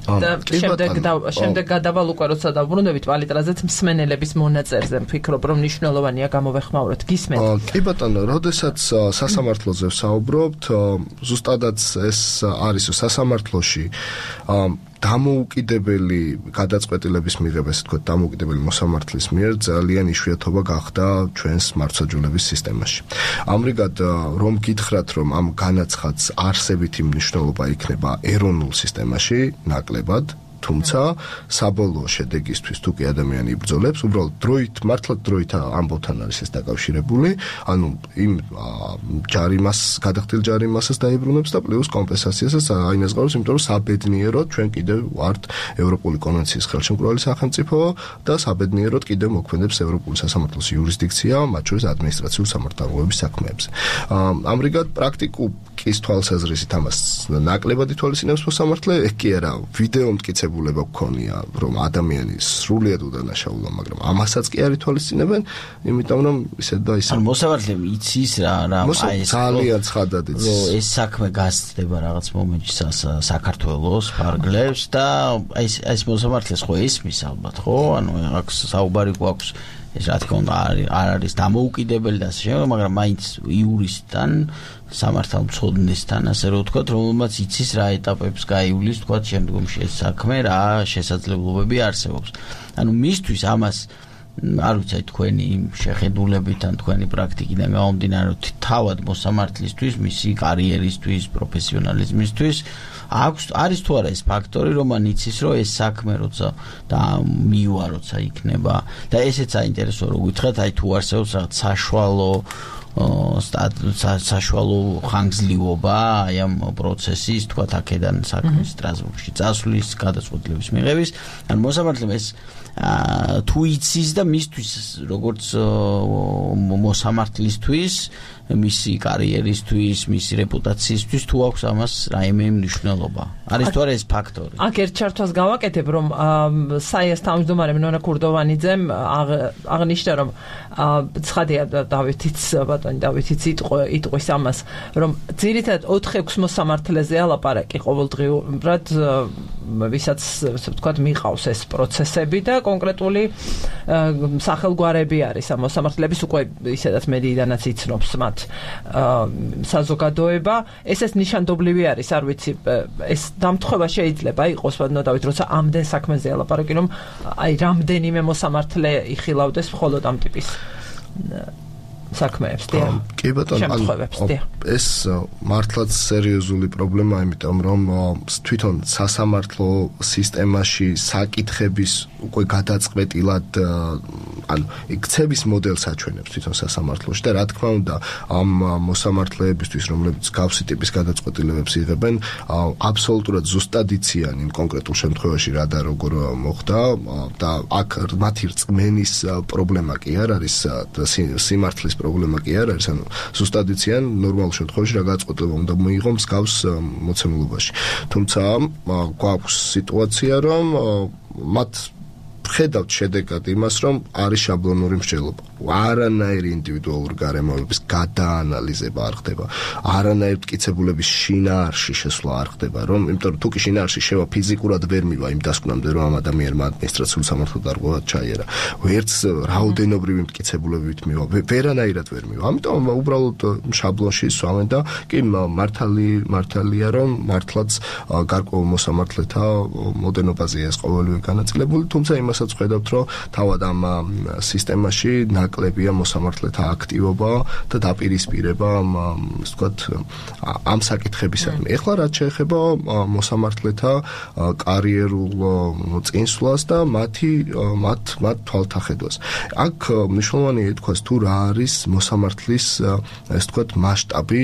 Speaker 1: და შემდეგ გადავალ უკვე როცა დავბრუნდებით პალიტრაზეც მსმენელების მონაწერზე ვფიქრობ რომ მნიშვნელოვანია გამოვეხმაუროთ გისმენთ
Speaker 3: კი ბატონო როდესაც სასამართლოზე ვსაუბრობთ ზუსტადაც ეს არის სასამართლოში დამოუკიდებელი გადაწყვეტილების მიღება, ესე ვთქვათ, დამოუკიდებელი მოსამართლის მიერ ძალიან იშვიათობა გახდა ჩვენს მართლმსაჯულების სისტემაში. ამრიგად, რომ გითხრათ, რომ ამ განაცხადს არსებითი მნიშვნელობა იქნება ეროვნულ სისტემაში, ნაკლებად, თუმცა საბოლოო შედეგისთვის თუ კი ადამიანი იბრძოლებს, უბრალოდ დროით, მართლაც დროით ამბობთან არის ეს დაკავშირებული, ანუ იმ ჯარიმას, გადახდილ ჯარიმასაც დაიბრუნებს და პლუს კომპენსაციასაც აინაზღაურებს, იმიტომ რომ საბედნიეროდ ჩვენ კიდევ ვართ ევროპული კონვენციის ხელშემკრალი სახელმწიფო და საბედნიეროდ კიდევ მოქმედებს ევროპული სასამართლოს იურისდიქცია, მათ შორის ადმინისტრაციულ სამართალდარღვევების საქმეებზე. ამრიგად პრაქტიკულ კის თვალსაზრისით ამას ნაკლებად ითვალისწინებს მოსამართლე, ეგ კი არა, ვიდეო მტკიცებულება გქონია, რომ ადამიანი სრულიად უდანაშაულა, მაგრამ ამასაც კი არ ითვალისწინებენ, იმიტომ რომ ისე და ისე.
Speaker 2: ანუ მოსამართლე იცის რა
Speaker 3: აი ეს ძალიან ცხადად იცის.
Speaker 2: რომ ეს საქმე გასწდება რაღაც მომენტში საქართველოს ფარგლებს და ეს მოსამართლეს ხო ისმის ალბათ, ხო? ანუ აქ საუბარი გვაქვს ეს რა თქმა უნდა არ არის დამოუკიდებელი და ასე შემდეგ, მაგრამ მაინც იურისტთან სამართალმცოდნესთან ასე რომ ვთქვათ, რომელმაც იცის რა ეტაპებს გაივლის, ვთქვათ, შემდგომში ეს საქმე რა შესაძლებლობები არსებობს. ანუ მისთვის ამას არ ვიცი თქვენი შეხედულებით ან თქვენი პრაქტიკიდან გამომდინარე, თავად მოსამართლისთვის, მისი კარიერისთვის, პროფესიონალიზმისთვის არის თუ არა ეს ფაქტორი, რომ მან იცის, რომ ეს საქმე როცა და მივა როცა იქნება და ესეც საინტერესო რო გითხრათ, აი თუ არსებობს რაღაც საშუალო ხანგრძლივობა აი ამ პროცესის, თქვათ, აქედან საქმის სტრასბურგში წასვლის, გადაწყვეტილების მიღების, ან მოსამართლემ ეს თუ იცის და მისთვის როგორც მოსამართლისთვის მისი კარიერისთვის, მისი რეპუტაციისთვის თუ აქვს ამას რაიმე მნიშვნელობა. არის თუ არა ეს ფაქტორი?
Speaker 1: აქ ერთ ჩართვას გავაკეთებ, რომ საიას თავმჯდომარე ნონა კურდოვანიძემ აღნიშნა, რომ ცხადია დავითიც ბატონი დავითიც იტყვის ამას, რომ ძირითადად 4-6 მოსამართლეზე ალაპარაკი ყოველდღიურად ვისაც ასე ვთქვათ მიყავს ეს პროცესები და კონკრეტული სახელგვარები არის ამ მოსამართლეების უკვე ისედაც მედიიდანაც იცნობს მათ საზოგადოება ესეც ნიშანდობლივი არის არ ვიცი ეს დამთხევა შეიძლება იყოს ვადნოდავით როცა ამდენ საქმეზე ალაპარაკი რომ აი რამდენიმე მოსამართლე იხილავდეს მხოლოდ ამ ტიპის საქმეებს და
Speaker 3: კი ბატონო ეს მართლაც სერიოზული პრობლემაა იმიტომ რომ თვითონ სასამართლო სისტემაში საკითხების უკვე გადაწყვეტილად ანუ იქცევის მოდელს აჩვენებს თვითონ სასამართლოში და რა თქმა უნდა ამ მოსამართლეებისთვის რომლებიც გავსი ტიპის გადაწყვეტილებებს იღებენ აბსოლუტურად ზუსტად იციან იმ კონკრეტულ შემთხვევაში რა და როგორ მოხდა და აქ მათი რწმენის პრობლემა კი არ არის სიმართლის პრობლემა კი არ არის ანუ ზუსტად იციან ნორმალურ შემთხვევაში რა გადაწყვეტილება უნდა მოიღო მსგავს მოცემულობაში თუმცა გვაქვს სიტუაცია რომ მათ ხედავთ შედეგად იმას რომ არის შაბლონური მსჯელობა არანაირი ინდივიდუალური გარემოებების გადაანალიზება არ ხდება არანაირი მტკიცებულების შინაარსში შესვლა არ ხდება რომ იმიტომ რომ თუ კი შინაარსში შევა ფიზიკურად ვერ მივა იმ დასკვნამდე რომ ამ ადამიანმა ადმინისტრაციული სამართლო დარღვევა ჩაიერა ვერც რაოდენობრივი მტკიცებულებით მივა ვერანაირად ვერ მივა ამიტომ უბრალოდ შაბლონში სვამენ და კი მართალია რომ მართლაც გარკვეულ მოსამართლეთა მოდერნობაზეა ეს ყოველივე განაწილებული თუმცა იმასაც ხედავთ რომ თავად ამ სისტემაში ნაკლებია მოსამართლეთა აქტივობა და დაპირისპირება ასე ვთქვათ ამ საკითხებისადმი. ეხლა რაც შეეხება მოსამართლეთა კარიერულ წინსვლას და მათ თვალთახედვას. აქ მნიშვნელოვანია ითქვას თუ რა არის მოსამართლის ასე ვთქვათ მასშტაბი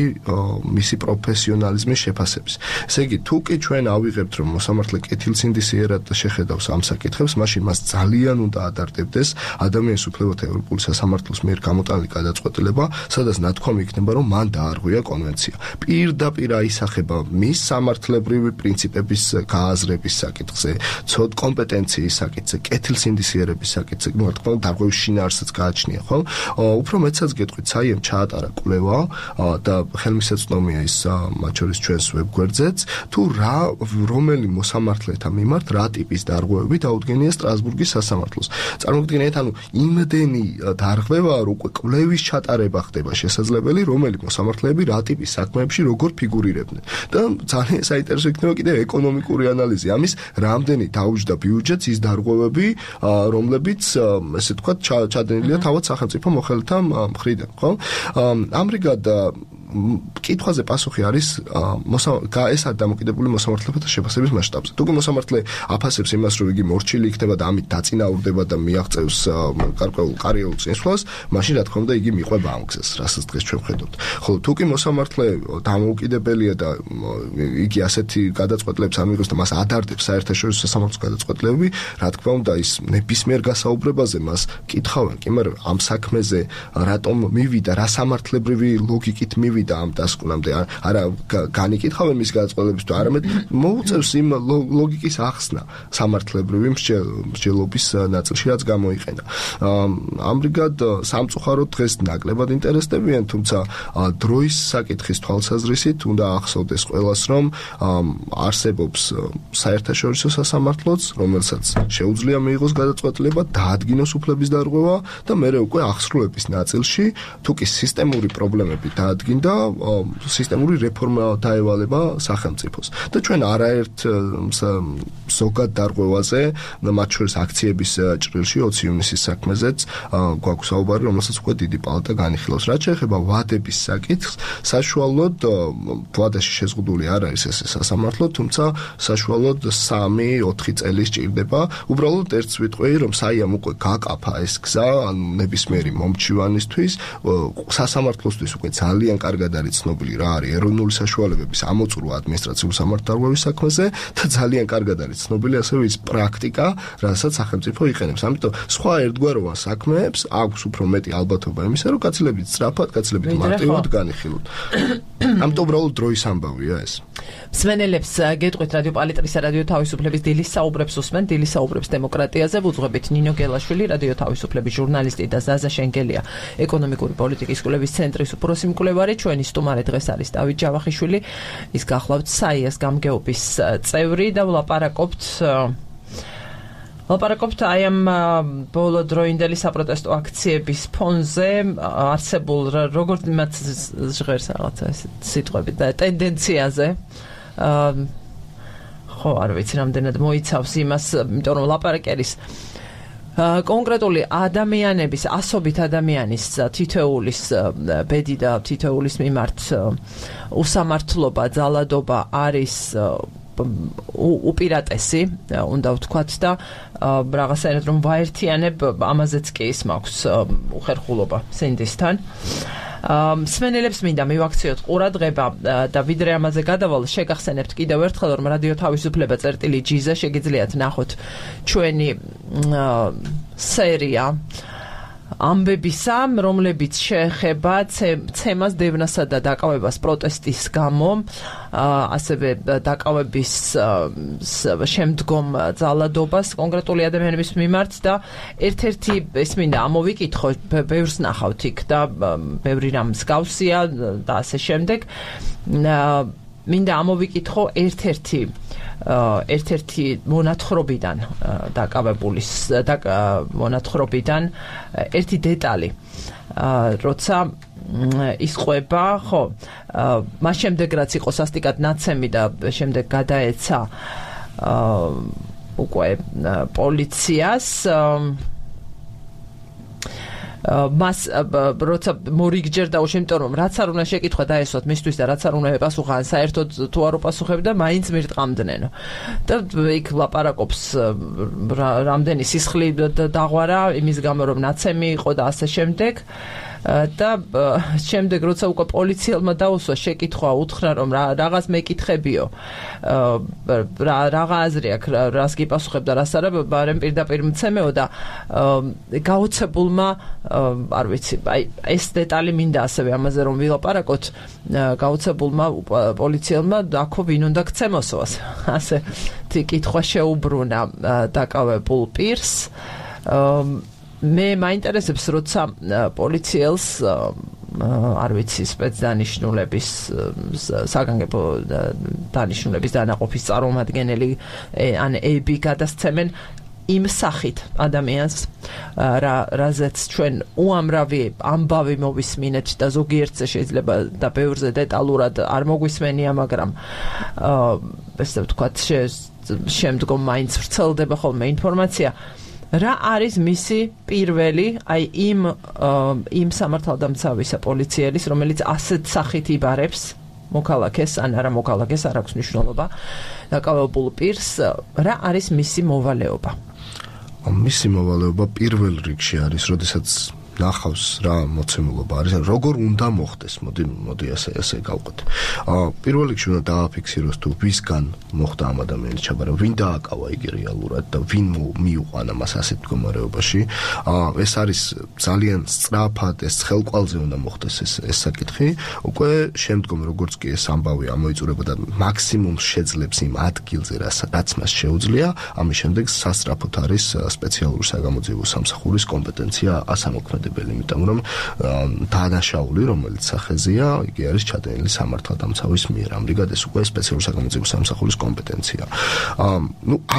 Speaker 3: მისი პროფესიონალიზმის შეფასების. ესე იგი თუ კი ჩვენ ავიღებთ რომ მოსამართლე კეთილსინდისიერად შეხედავს ამ საკითხებს, მაშინ მას ძალიან უნდა ადარდებდეს ადამიანის უფლებათა ევროპული სასამართლოს მიერ გამოტანილი გადაწყვეტილება, სადაც ნათქვამი იქნება, რომ მან დაარღვია კონვენცია. პირდაპირ აისახება მის სამართლებრივი პრინციპების გააზრების საკითხზე, ცოდ კომპეტენციის საკითხზე, კეთილსინდისიერების საკითხზე, რა თქმა უნდა, დარღვევის შინაარსიც გააჩნია, ხო? უფრო მეტსაც გეტყვით, საიემ ჩაატარა კვლევა და ხელმისაწვდომია ის მათ შორის ჩვენს ვებგვერდზეც, თუ რომელი მოსამართლეთა მიმართ რა ტიპის დარღვევები დაუდგენია სტრასბურგის სასამართლოს. წარმოგიდგენთ, ანუ იმდენი დარღვევაა, რომ უკვე კვლევის ჩატარება ხდება შესაძლებელი, რომელი მოსამართლეები რა ტიპის საქმეებში როგორ ფიგურირებდნენ. და ძალიან საინტერესო იქნება კიდევ ეკონომიკური ანალიზი. ამის რამდენი დაუჯდა ბიუჯეტს ის დარღვევები, რომლებიც ესე ვთქვათ ჩადენილია თავად სახელმწიფო მოხელეთა მხრიდან, ხო? ამრიგად კითხვაზე პასუხი არის ეს არის დამოკიდებული მოსამართლეთა შეფასების მასშტაბზე. თუ მოსამართლე აფასებს იმას, რომ იგი მორჩილი იქნება და ამით დაწინაურდება და მიაღწევს გარკვეულ კარიერულ წინსვლას, მაშინ რა თქმა უნდა იგი მიყვება ამ გზას, რასაც დღეს ჩვენ ვხედავთ. ხოლო თუ კი მოსამართლე დამოუკიდებელია და იგი ასეთი გადაწყვეტილებს ამიღებს და მას ადარდებს საერთაშორისო სასამართლოს გადაწყვეტილებები, რა თქმა უნდა ის ნებისმიერ გასაუბრებაზე მას კითხავენ, კი მაგრამ ამ საქმეზე რატომ მივიდა, რა სამართლებრივი ლოგიკით მივიდა ამ დასკვნამდე არა განიკითხავენ მის გადაწყვეტილებებს თუ არამედ მოუწევს იმ ლოგიკის ახსნა სამართლებრივი მსჯელობის ნაწილში რაც გამოიყენა. ამრიგად სამწუხაროდ დღეს ნაკლებად ინტერესდებიან, თუმცა დროის საკითხის თვალსაზრისით უნდა ახსოვდეს ყველას, რომ არსებობს საერთაშორისო სასამართლოც, რომელსაც შეუძლია მიიღოს გადაწყვეტილება, დაადგინოს უფლების დარღვევა და მერე უკვე აღსრულების ნაწილში თუ კი სისტემური პრობლემები დაადგინდა სისტემური რეფორმა დაევალება სახელმწიფოს. და ჩვენ არაერთ ზოგად დარღვევაზე, მათ შორის აქციების ჭრილში 20 ივნისის საქმეზეც გვაქვს საუბარი, რომელსაც უკვე დიდი პალატა განიხილავს. რაც შეეხება ვადების საკითხს, საშუალოდ ვადაში შეზღუდული არ არის ეს სასამართლო, თუმცა საშუალოდ 3-4 წელი სჭირდება. უბრალოდ ერთ ვიტყვი, რომ საიამ უკვე გაკაფა ეს გზა, ანუ ნებისმიერი მომჩივანისთვის, სასამართლოსთვის უკვე ძალიან კარგად არის ცნობილი რა არის ეროვნული საშუალებების ამოწურვა ადმინისტრაციული სამართალდარღვევის საქმეზე და ძალიან კარგად არის ცნობილი ასევე ის პრაქტიკა, რასაც სახელმწიფო იყენებს. ამიტომ სხვა ერთგვაროვან საქმეებს აქვს უფრო მეტი ალბათობა იმისა, რომ გაცილებით სწრაფად, გაცილებით მარტივად განიხილოთ. ამიტომ უბრალოდ დროის ამბავია ეს.
Speaker 1: მსმენელებს გეტყვით რადიო პალიტრის რადიო თავისუფლების დილის საუბრებს უსმენ, დილის საუბრებს დემოკრატიაზე, ვუძღვებით ნინო გელაშვილი, რადიო თავისუფლების ჟურნალისტი და ზაზა შენგელია, ეკონომიკური პოლიტიკის კვლევის ცენტრის უფროსი მკვლევარი. ჩვენი სტუმარი დღეს არის დავით ჯავახიშვილი, ის გახლავთ საიას გამგეობის წევრი და ვლაპარაკობთ აი ამ ბოლოდროინდელი საპროტესტო აქციების ფონზე არსებულ როგორც მათ ჟღერს რაღაცა ეს სიტყვები და ტენდენციაზე. ხო, არ ვიცი რამდენად მოიცავს იმას, იმიტომ რომ ლაპარაკი არის კონკრეტული ადამიანების, ასობით ადამიანის თითოეულის ბედი და თითოეულის მიმართ უსამართლობა, ძალადობა არის უპირატესი უნდა ვთქვათ და რაღაცაერად რომ ვაერთიანებ ამაზეც კი ის მაქვს უხერხულობა სინდისთან მსმენელებს მინდა მივაქციოთ ყურადღება და ვიდრე ამაზე გადავალ შეგახსენებთ კიდევ ერთხელ რომ რადიო თავისუფლება წერტილი.gz-ზე შეგიძლიათ ნახოთ ჩვენი სერია ამბებისა, რომლებიც შეეხება ცემას, დევნასა და დაკავებას პროტესტის გამო, ასევე დაკავების შემდგომ ძალადობას კონკრეტული ადამიანების მიმართ და ერთ-ერთი ეს მინდა ამოვიკითხო, ბევრს ნახავთ იქ და ბევრი რამ მსგავსია და ასე შემდეგ. მინდა ამოვიკითხო ერთ-ერთი მონათხრობიდან დაკავებულის მონათხრობიდან ერთი დეტალი როცა ისყვება ხო მას შემდეგ რაც იყო სასტიკად ნაცემი და შემდეგ გადაეცა უკვე პოლიციას მას როცა მორიგჯერ დაუშვა, იმიტომ რომ რაც არ უნდა შეკითხვა დაესვათ მისთვის და რაც არ უნდა ეპასუხა, საერთოდ თუ არ უპასუხებდა, მაინც მირტყამდნენო. და იქ ლაპარაკობს რამდენი სისხლი დაღვარა იმის გამო რომ ნაცემი იყო და ასე შემდეგ. და შემდეგ როცა უკვე პოლიციელმა დაუსვა შეკითხვა უთხრა რომ რაღაც მეკითხებიო რაღა აზრი აქვს რას გიპასუხებ და რას არა ბარემ პირდაპირ მცემეო და გაოცებულმა არ ვიცი აი ეს დეტალი მინდა ასევე ამაზე რომ ვილაპარაკოთ გაოცებულმა პოლიციელმა აქო ვინ უნდა გცემოსოს ასე კითხვა შეუბრუნა დაკავებულ პირს მე მაინტერესებს როცა პოლიციელს არ ვიცი სპეცდანიშნულების საგანგებო დანიშნულების დანაყოფის წარმომადგენელი ან ები გადასცემენ იმ სახით ადამიანს რაზეც ჩვენ უამრავი ამბავი მოვისმინეთ და ზოგიერთზე შეიძლება და ბევრზე დეტალურად არ მოგვისმენია მაგრამ ესე ვთქვათ შემდგომ მაინც ვრცელდება ხოლმე ინფორმაცია რა არის მისი პირველი აი იმ სამართალდამცავისა პოლიციელის რომელიც ასეთ სახით იბარებს მოქალაქეს ან არა მოქალაქეს არ აქვს მნიშვნელობა დაკავებულ პირს რა არის მისი მოვალეობა
Speaker 3: მისი მოვალეობა პირველ რიგში არის როდესაც ნახავს რა მოცემულობა არის როგორ უნდა მოხდეს მოდი ასე გავყოთ პირველ რიგში უნდა დააფიქსიროს თუ ვისგან მოხდა ამ ადამიანის ჩაბარება ვინ დააკავა იგი რეალურად და ვინ მიუყვანა მას ასეთ მდგომარეობაში ეს არის ძალიან სწრაფად ეს ხელკვალზე უნდა მოხდეს ეს საკითხი უკვე შემდგომ როგორც კი ეს ამბავი ამოიწურება და მაქსიმუმ შეძლებს იმ ადგილზე რაც მას შეუძლია ამის შემდეგ სასწრაფოდ არის სპეციალური საგამოძიებო სამსახურის კომპეტენცია ასამოქმედებელი იმიტომ რომ დანაშაული რომელიც სახეზეა იგი არის ჩადენილი სამართალდამცავის მიერ ამრიგად ეს უკვე სპეციალური საგამოძიებო სამსახურის კომპეტენცია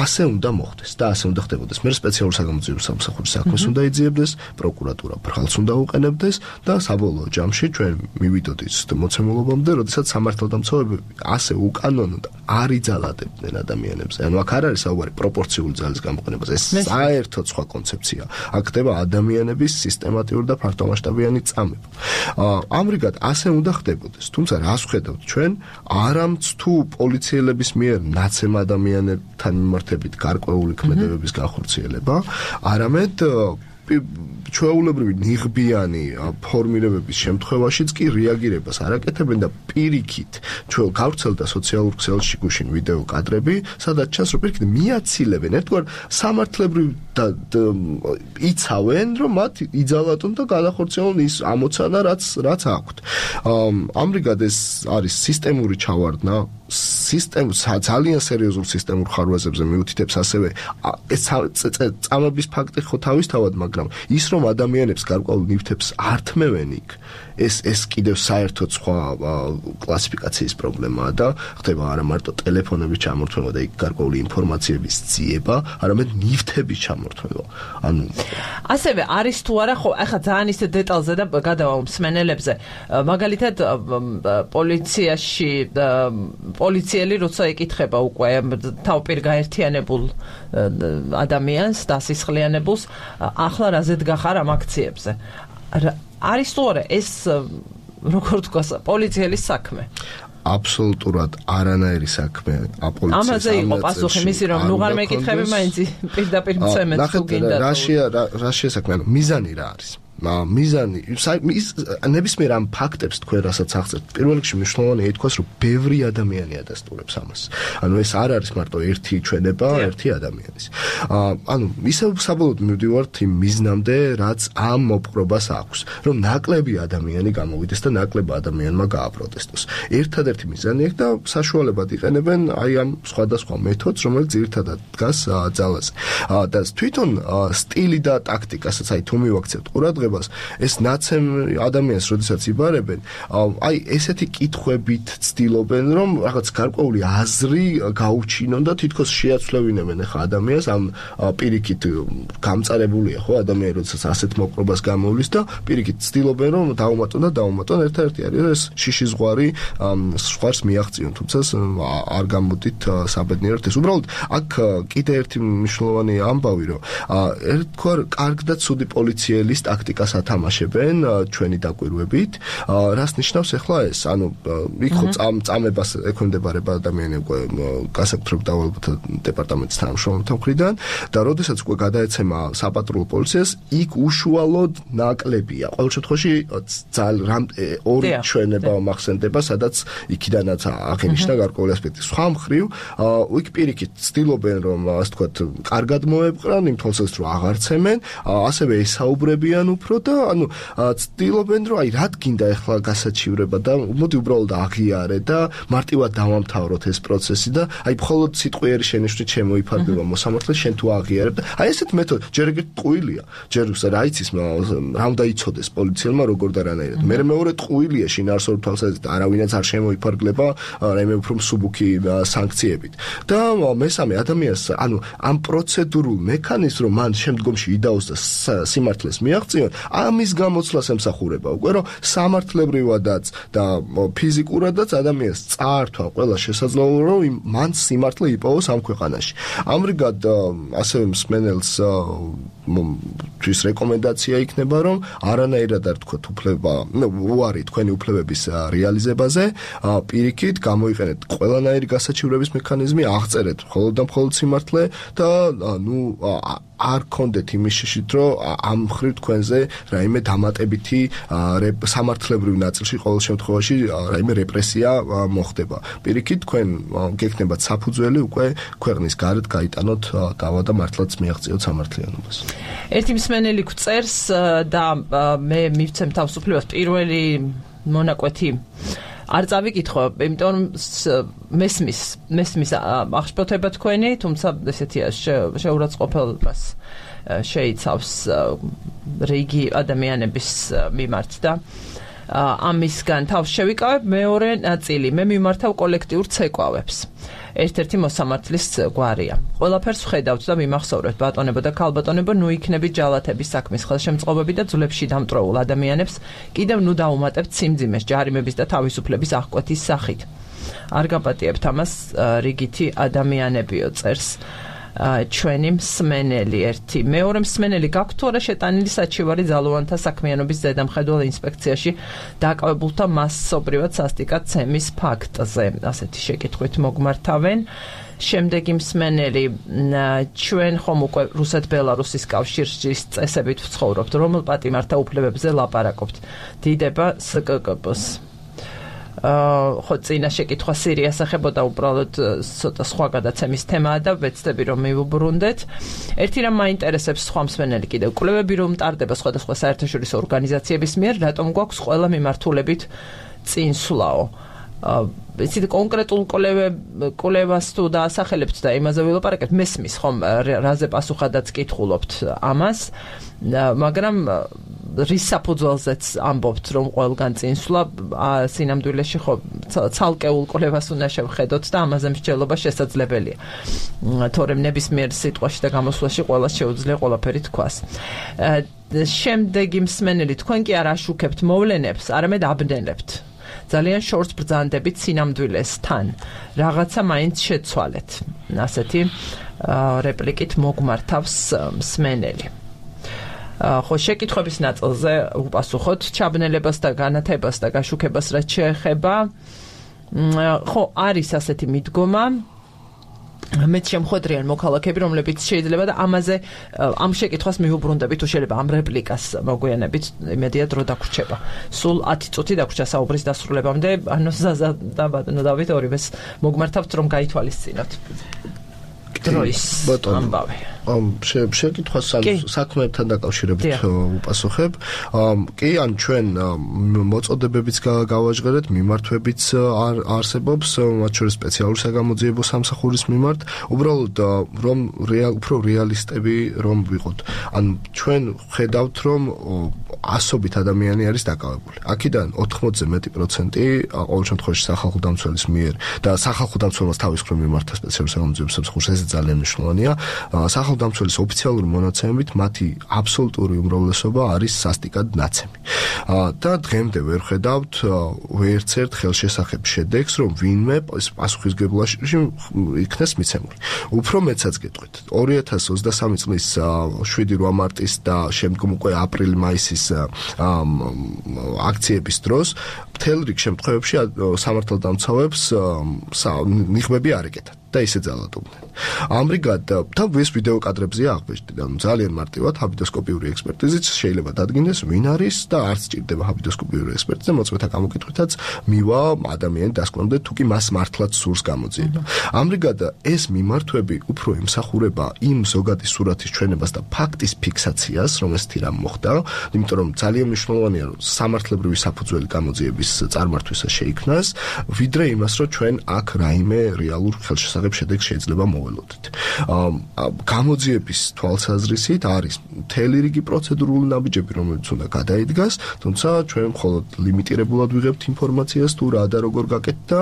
Speaker 3: ასე უნდა მოხდეს და ასე უნდა ხდებოდეს მე სპეციალური საგამოძიებო სამსახურის საქმეს უნდა იძიებდეს პროკურატურა ბრალს უნდა უყენებდეს და საბოლოო ჯამში ჩვენ მივიდოდით მოცემულობამდე როდესაც სამართალდამცავები ასე უკანონო და არ იძალადებდნენ ადამიანებს ანუ აქ არ არის საუბარი პროპორციული ძალის გამოყენებას ეს საერთოდ სხვა კონცეფცია აქ ხდება ადამიანების სისტემატიური და ფართომასშტაბიანი წამება ამრიგად ასე უნდა ხდებოდეს თუმცა რას ვხედავთ ჩვენ არამც თუ პოლიციელების მიერ ნაცემ ადამიანებთან მიმართებით გარკვეული ქმედებების განხორციელება არამედ ჩვეულებრივი ნიღბიანი ფორმირებების შემთხვევაშიც კი რეაგირებას არ აკეთებენ და პირიქით ჩვენ გავრცელდა სოციალურ ქსელში გუშინ ვიდეო კადრები სადაც ჩანს რომ პირიქით მიაცილებენ ერთგვარ სამართლებრივ და იცავენ რომ მათ იძალატონ და გადახორციელონ ის ამოცანა რაც აქვთ ამრიგად ეს არის სისტემური ჩავარდნა ძალიან სერიოზულ სისტემურ ხარვაზებზე მიუთითებს ასევე ეს წამების ფაქტი ხო თავისთავად მაგრამ ის რომ ადამიანებს გარკვეულ ნივთებს არ თმევენ იქ ეს კიდევ საერთოდ სხვა კლასიფიკაციის პრობლემაა და ხდება არა მარტო ტელეფონების ჩამორთმევა და იქ გარკვეული ინფორმაციების ძიება, არამედ ნივთების ჩამორთმევა. ანუ
Speaker 1: ასევე არის თუ არა ხო, ახლა ძალიან ისე დეტალზე და გადავალ მსმენელებზე. მაგალითად პოლიციაში პოლიციელი როცა ეკითხება უკვე თავპირ გაერთიანებულ ადამიანს დასისხლიანებულს, ახლა რა ზედგახარ ამ აქციებზე. არის თუ არა ეს როგორ თქვა პოლიციელის საქმე
Speaker 3: აბსოლუტურად არანაირი საქმე აპოლიციის
Speaker 1: ამაზე იყო პასუხი მისი რომ ნუ არ მეკითხები მაინც პირდაპირ მცემეთ თუ გინდა
Speaker 3: რა შეესაქმე მიზანი რა არის მიზანი ნებისმიერ ამ ფაქტებს თქვენ რასაც აღწერთ პირველ რიგში მნიშვნელოვანია ითქვას რომ ბევრი ადამიანი ადასტურებს ამას ანუ ეს არ არის მარტო ერთი ჩვენება ერთი ადამიანის ანუ ისევ საბოლოოდ მივდივართ იმ მიზნამდე რაც ამ მოპყრობას აქვს რომ ნაკლები ადამიანი გამოვიდეს და ნაკლებმა ადამიანმა გააპროტესტოს ერთადერთი მიზანი აქვს და საშუალებად იყენებენ აი ამ სხვადასხვა მეთოდს რომელიც ძირითადად დგას ძალაზე და თვითონ სტილი და ტაქტიკასაც აი თუ მივაქცევთ ყურადღებას ეს ნაცემ ადამიანს როდესაც იბარებენ აი ესეთი კითხვებით ცდილობენ რომ რაღაც გარკვეული აზრი გაუჩინონ და თითქოს შეაცვლევინებენ ახლა ადამიანს ამ პირიქით გამწარებულია ხო ადამიანი როდესაც ასეთ მოპყრობას გამოვლის და პირიქით ცდილობენ რომ დაუმატონ ერთ-ერთი არის ეს შიში ზღვარი ზღვარს მიაღწიონ თუმცა არ გამოდით საბედნიეროდ ეს უბრალოდ აქ კიდე ერთი მნიშვნელოვანი ამბავი რომ ერთგვარ კარგ და ცუდი პოლიციელის ტაქტიკას ათამაშებენ ჩვენი დაკვირვებით რას ნიშნავს ახლა ეს ანუ იქ ხო წამებას ექვემდებარება ადამიანი უკვე გასაკუთრებულ დავალებათა დეპარტამენტის თანამშრომელთა მხრიდან და როდესაც უკვე გადაეცემა საპატრულო პოლიციას იქ უშუალოდ ნაკლებია ყოველ შემთხვევაში ძალიან ორი ჩვენება მახსენდება სადაც იქიდანაც აღინიშნა გარკვეული ასპექტი სხვა მხრივ იქ პირიქით ცდილობენ რომ ასე ვთქვათ კარგად მოეპყრან იმ თვალსაზრისით რომ აღარცემენ ასევე ესაუბრებიან უფრო და ანუ ცდილობენ რომ აი რა გინდა ახლა გასაჩივრება და მოდი უბრალოდ აღიარე და მარტივად დავამთავროთ ეს პროცესი და აი მხოლოდ სიტყვიერი შენიშვნით შემოიფარგლება მოსამართლე შენ თუ აღიარებ და აი ესეთ მეთოდ ჯერ ეგრეთ ტყუილია ჯერ რა იცის რა უნდა იცოდეს პოლიციელმა როგორ და რანაირად მე მეორე ტყუილია შინაარსობრივ თვალსაზრისით არავინაც არ შემოიფარგლება რაიმე უფრო მსუბუქი სანქციებით და მესამე ადამიანს ანუ ამ პროცედურულ მექანიზმს რომ მან შემდგომში იდაოს და სიმართლეს მიაღწიონ ამის გამოცვლას ემსახურება უკვე რომ სამართლებრივადაც და ფიზიკურადაც ადამიანს წაართვა ყველა შესაძლებლობა რომ მან სიმართლე იპოვოს ამ ქვეყანაში ამრიგად ასევე მსმენელს თვის რეკომენდაცია იქნება რომ არანაირად არ თქვათ უფლება უარი თქვენი უფლებების რეალიზებაზე პირიქით გამოიყენეთ ყველანაირი გასაჩივრების მექანიზმი აღწერეთ მხოლოდ და მხოლოდ სიმართლე და ნუ არ კონდეთ იმის შეშით რომ ამ მხრივ თქვენზე რაიმე დამატებითი სამართლებრივ ნაწილში ყოველ შემთხვევაში რაიმე რეპრესია მოხდება პირიქით თქვენ გექნებათ საფუძველი უკვე ქვეყნის გარეთ გაიტანოთ დავა და მართლაც მიაღწიოთ სამართლიანობას
Speaker 1: ერთი მსმენელი გვწერს და მე მივცემ თავისუფლებას პირველი მონაკვეთი არ წავიკითხო, იმიტომ რომ მესმის აღშფოთება თქვენი, თუმცა ესეთია შეურაცხყოფელობას შეიცავს რიგი ადამიანების მიმართ და ამისგან თავს შევიკავებ მეორე ნაწილი, მე მიმართავ კოლექტიურ ცეკვავებს. ერთ-ერთი მოსამართლის გვარია. ყველაფერს ვხედავთ და მიმახსოვრებთ ბატონებო და ქალბატონებო, ნუ იქნებით ჯალათების საქმის ხელშემწყობები და ძვლებში დამტვრეულ ადამიანებს კიდევ ნუ დაუმატებთ სიმძიმეს ჯარიმების და თავისუფლების აღკვეთის სახით. არ გაპატიებთ ამას რიგითი ადამიანებიო წერს ჩვენი მსმენელი ერთი. მეორე მსმენელი გაქვთ თუ არა შეტანილი საჩივარი ძალოვანთა საქმიანობის ზედამხედველ ინსპექციაში დაკავებულთა მასობრივად სასტიკად ცემის ფაქტზე. ასეთი შეკითხვით მოგმართავენ. შემდეგი მსმენელი ჩვენ ხომ უკვე რუსეთ-ბელარუსის კავშირის წესებით ვცხოვრობთ, რომელ პატიმართა უფლებებზე ლაპარაკობთ. დიდება სკკპ-ს. ხო წინა შეკითხვა სირიას ახებოდა უბრალოდ ცოტა სხვა გადაცემის თემაა და ვეცდები რომ მივუბრუნდეთ. ერთი რამ მაინტერესებს სხვა მსმენელი კიდევ კვლევები რომ მტარდება სხვადასხვა საერთაშორისო ორგანიზაციების მიერ, რატომ გვაქვს ყველა მიმართულებით წინსვლაო. იცით კონკრეტულ კვლევას თუ დაასახელებთ და იმაზე ვილაპარაკებთ, მესმის ხომ რაზე პასუხადაც კითხულობთ ამას, მაგრამ რის საფუძველზეც ამბობთ რომ ყველგან წინსვლა სინამდვილეში ხო ცალკეულ კვლევას უნდა შევხედოთ და ამაზე მსჯელობა შესაძლებელია. თორემ ნებისმიერ სიტყვაში და გამოსვლაში ყველა შეუძლია ყველაფერი თქვას. შემდეგი მსმენელი თქვენ კი არ აშუქებთ მოვლენებს, არამედ აბნელებთ. ძალიან შორს ბრძანდებით სინამდვილესთან. რაღაცა მაინც შეცვალეთ. ასეთი რეპლიკით მოგმართავს მსმენელი. ხო შეკითხვების ნაწილზე უპასუხოთ ჩაბნელებას და განათებას და გაშუქებას რაც შეეხება ხო, არის ასეთი მიდგომა მეც შემხვედრიან მოქალაქეები, რომლებიც შეიძლება და ამაზე ამ შეკითხვას მიუბრუნდებით, თუ შეიძლება ამ რეპლიკას მოგვიანებით, იმედია დრო დაგვრჩება. სულ 10 წუთი დაგვრჩა საუბრის დასრულებამდე, ანუ ზაზა და ბატონო დავით ორივეს მოგმართავთ, რომ გაითვალისწინოთ დროის ამბავი.
Speaker 3: შეკითხვას საქმეებთან დაკავშირებით უპასუხებ. კი, ან ჩვენ მოწოდებებიც გავაჟღერეთ, მიმართვებიც არსებობს, მათ შორის სპეციალური საგამოძიებო სამსახურის მიმართ, უბრალოდ რომ უფრო რეალისტები რომ ვიყოთ. ან ჩვენ ხედავთ, რომ ასობით ადამიანი არის დაკავებული. აქედან 80-ზე მეტი პროცენტი ყოველ შემთხვევაში სახალხო დამცველის მიერ და სახალხო დამცველს თავის მხრივ მიმართა სპეციალური საგამოძიებო სამსახურს, ეს ძალიან მნიშვნელოვანია. სახალხო დამცველის ოფიციალური მონაცემებით მათი აბსოლუტური უმრავლესობა არის სასტიკად ნაცემი. და დღემდე ვერ ხედავთ ვერცერთ ხელშესახებ შედეგს, რომ ვინმე პასუხისგებლობაში იქნეს მიცემული. უფრო მეცაც გეტყვით, 2023 წლის 7-8 მარტის და შემდგომ უკვე აპრილ-მაისის აქციების დროს მთელ რიგ შემთხვევებში სამართალდამცავებს ნიღბები არ ეკეთათ და ისე ძალადობდნენ. ამრიგად და ეს ვიდეო კადრებზეა აღბეჭდი და ძალიან მარტივად ჰაბიდოსკოპიური ექსპერტიზით შეიძლება დადგინდეს ვინ არის და არც ჭირდება ჰაბიდოსკოპიური ექსპერტიზა, მოწმეთა გამოკითხვითაც მივა ადამიანი დასკვნამდე თუ კი მას მართლაც სურს გამოძიება. ამრიგად ეს მიმართვები უფრო ემსახურება იმ ზოგადი სურათის ჩვენებას და ფაქტის ფიქსაციას, რომ ესეთი რამ მოხდა, იმიტომ რომ ძალიან მნიშვნელოვანია რომ სამართლებრივი საფუძველი გამოძიების წარმართვისა შეიქმნას, ვიდრე იმას რომ ჩვენ აქ რაიმე რეალურ ხელშესახებ შედეგს შეიძლება მოველოდეთ. გამოძიების თვალსაზრისით არის მთელი რიგი პროცედურული ნაბიჯები, რომელიც უნდა გადაიდგას, თუმცა ჩვენ მხოლოდ ლიმიტირებულად ვიღებთ ინფორმაციას თუ რა და როგორ გაკეთდა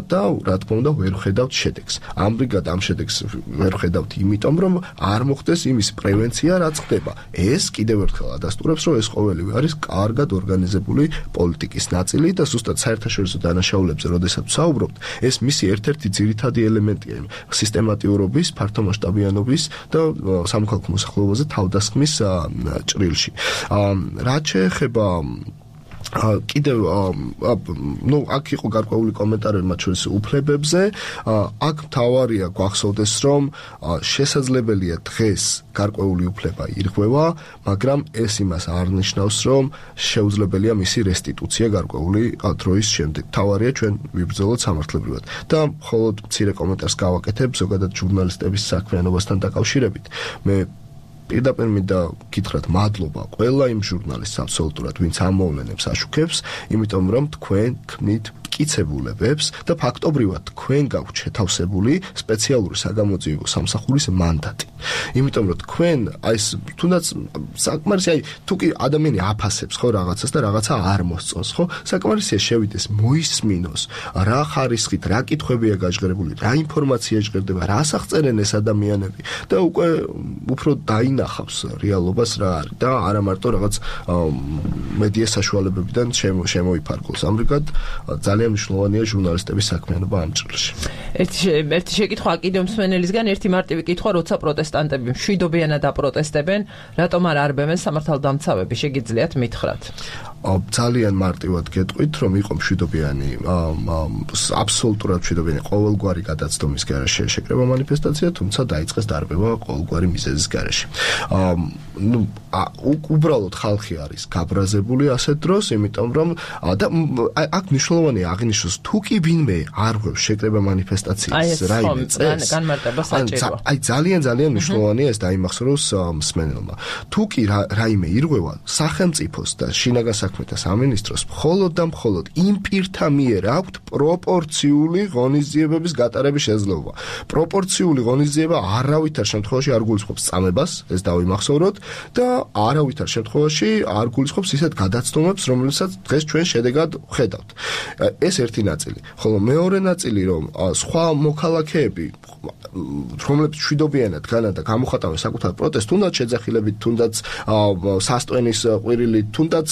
Speaker 3: და რა თქმა უნდა ვერ ხედავთ შედეგს. ამრიგად ამ შედეგს ვერ ხედავთ იმიტომ, რომ არ მოხდეს იმის პრევენცია, რაც ხდება. ეს კიდევ ერთხელ ადასტურებს, რომ ეს ყოველივე არის კარგად ორგანიზებული პოლიტიკის ნაწილი და ზუსტად საერთაშორისო დანაშაულებზე, როდესაც საუბრობთ, ეს მისი ერთ-ერთი ძირითადი ელემენტია სისტემატიურობის, ფართომასშტაბიანობის და სამოქალაქო მოსახლეობაზე თავდასხმის ჭრილში. რაც შეეხება კიდევ აქ იყო გარკვეული კომენტარები მათ შორის უფლებებზე. აქ მთავარია გვახსოვდეს, რომ შესაძლებელია დღეს გარკვეული უფლება ირღვევა, მაგრამ ეს იმას არ ნიშნავს, რომ შეუძლებელია მისი რესტიტუცია გარკვეული დროის შემდეგ. მთავარია ჩვენ ვიბრძოლოთ სამართლებრივად. და მხოლოდ მცირე კომენტარს გავაკეთებ ზოგადად ჟურნალისტების საქმიანობასთან დაკავშირებით. მე პირდაპირ მინდა გითხრათ მადლობა ყველა იმ ჟურნალისტს აბსოლუტურად, ვინც ამ მოვლენებს აშუქებს, იმიტომ რომ თქვენ ქმნით მტკიცებულებებს და ფაქტობრივად თქვენ გაქვთ შეთავსებული სპეციალური საგამოძიებო სამსახურის მანდატი. იმიტომ რომ თქვენ აი თუნდაც საკმარისია, თუ კი ადამიანი აფასებს ხო რაღაცას და რაღაცა არ მოსწონს, ხო? საკმარისია შევიდეს, მოისმინოს, რა ხარისხით, რა კითხვებია გაჟღერებული, რა ინფორმაცია ჟღერდება, რას აღწერენ ეს ადამიანები და უკვე უფრო დაინახავს რეალობას რა არის და არა მარტო რაღაც მედია საშუალებებიდან შემოიფარგლოს. ამრიგად ძალიან მნიშვნელოვანია ჟურნალისტების საქმიანობა ამ ჭრილში.
Speaker 1: ერთი შეკითხვა კიდევ მსმენელისგან, ერთი მარტივი კითხვა, როცა პროტესტანტები მშვიდობიანად აპროტესტებენ, რატომ არ არბევენ სამართალდამცავები, შეგიძლიათ მითხრათ?
Speaker 3: ძალიან მარტივად გეტყვით, რომ იყო მშვიდობიანი, აბსოლუტურად მშვიდობიანი ყოველგვარი გადაცდომის გარეშე შეკრება მანიფესტაცია, თუმცა დაიწყეს დარბევა ყოველგვარი მიზეზის გარეშე. უბრალოდ ხალხი არის გაბრაზებული ასეთ დროს, იმიტომ რომ და აქ მნიშვნელოვანია აღინიშნოს, თუ კი ვინმე არ ღვევს შეკრება მანიფესტაციის რაიმე წესს,
Speaker 1: განმარტება საჭიროა.
Speaker 3: აი ძალიან მნიშვნელოვანია ეს დაიმახსოვროს მსმენელმა. თუ კი რაიმე ირღვევა სახელმწიფოს და შინაგან საქმეთა სამინისტროს მხოლოდ და მხოლოდ იმ პირთა მიერ აქვთ პროპორციული ღონისძიებების გატარების შესაძლებლობა. პროპორციული ღონისძიება არავითარ შემთხვევაში არ გულისხმობს წამებას, ეს დავიმახსოვროთ და არავითარ შემთხვევაში არ გულისხმობს ისეთ გადაცდომებს, რომელსაც დღეს ჩვენ შედეგად ვხედავთ. ეს ერთი ნაწილი. ხოლო მეორე ნაწილი, რომ სხვა მოქალაქეები, რომლებიც მშვიდობიანად განან და გამოხატავენ საკუთარ პროტესტს, თუნდაც შეძახილებით, თუნდაც სასტვენის ყვირილით, თუნდაც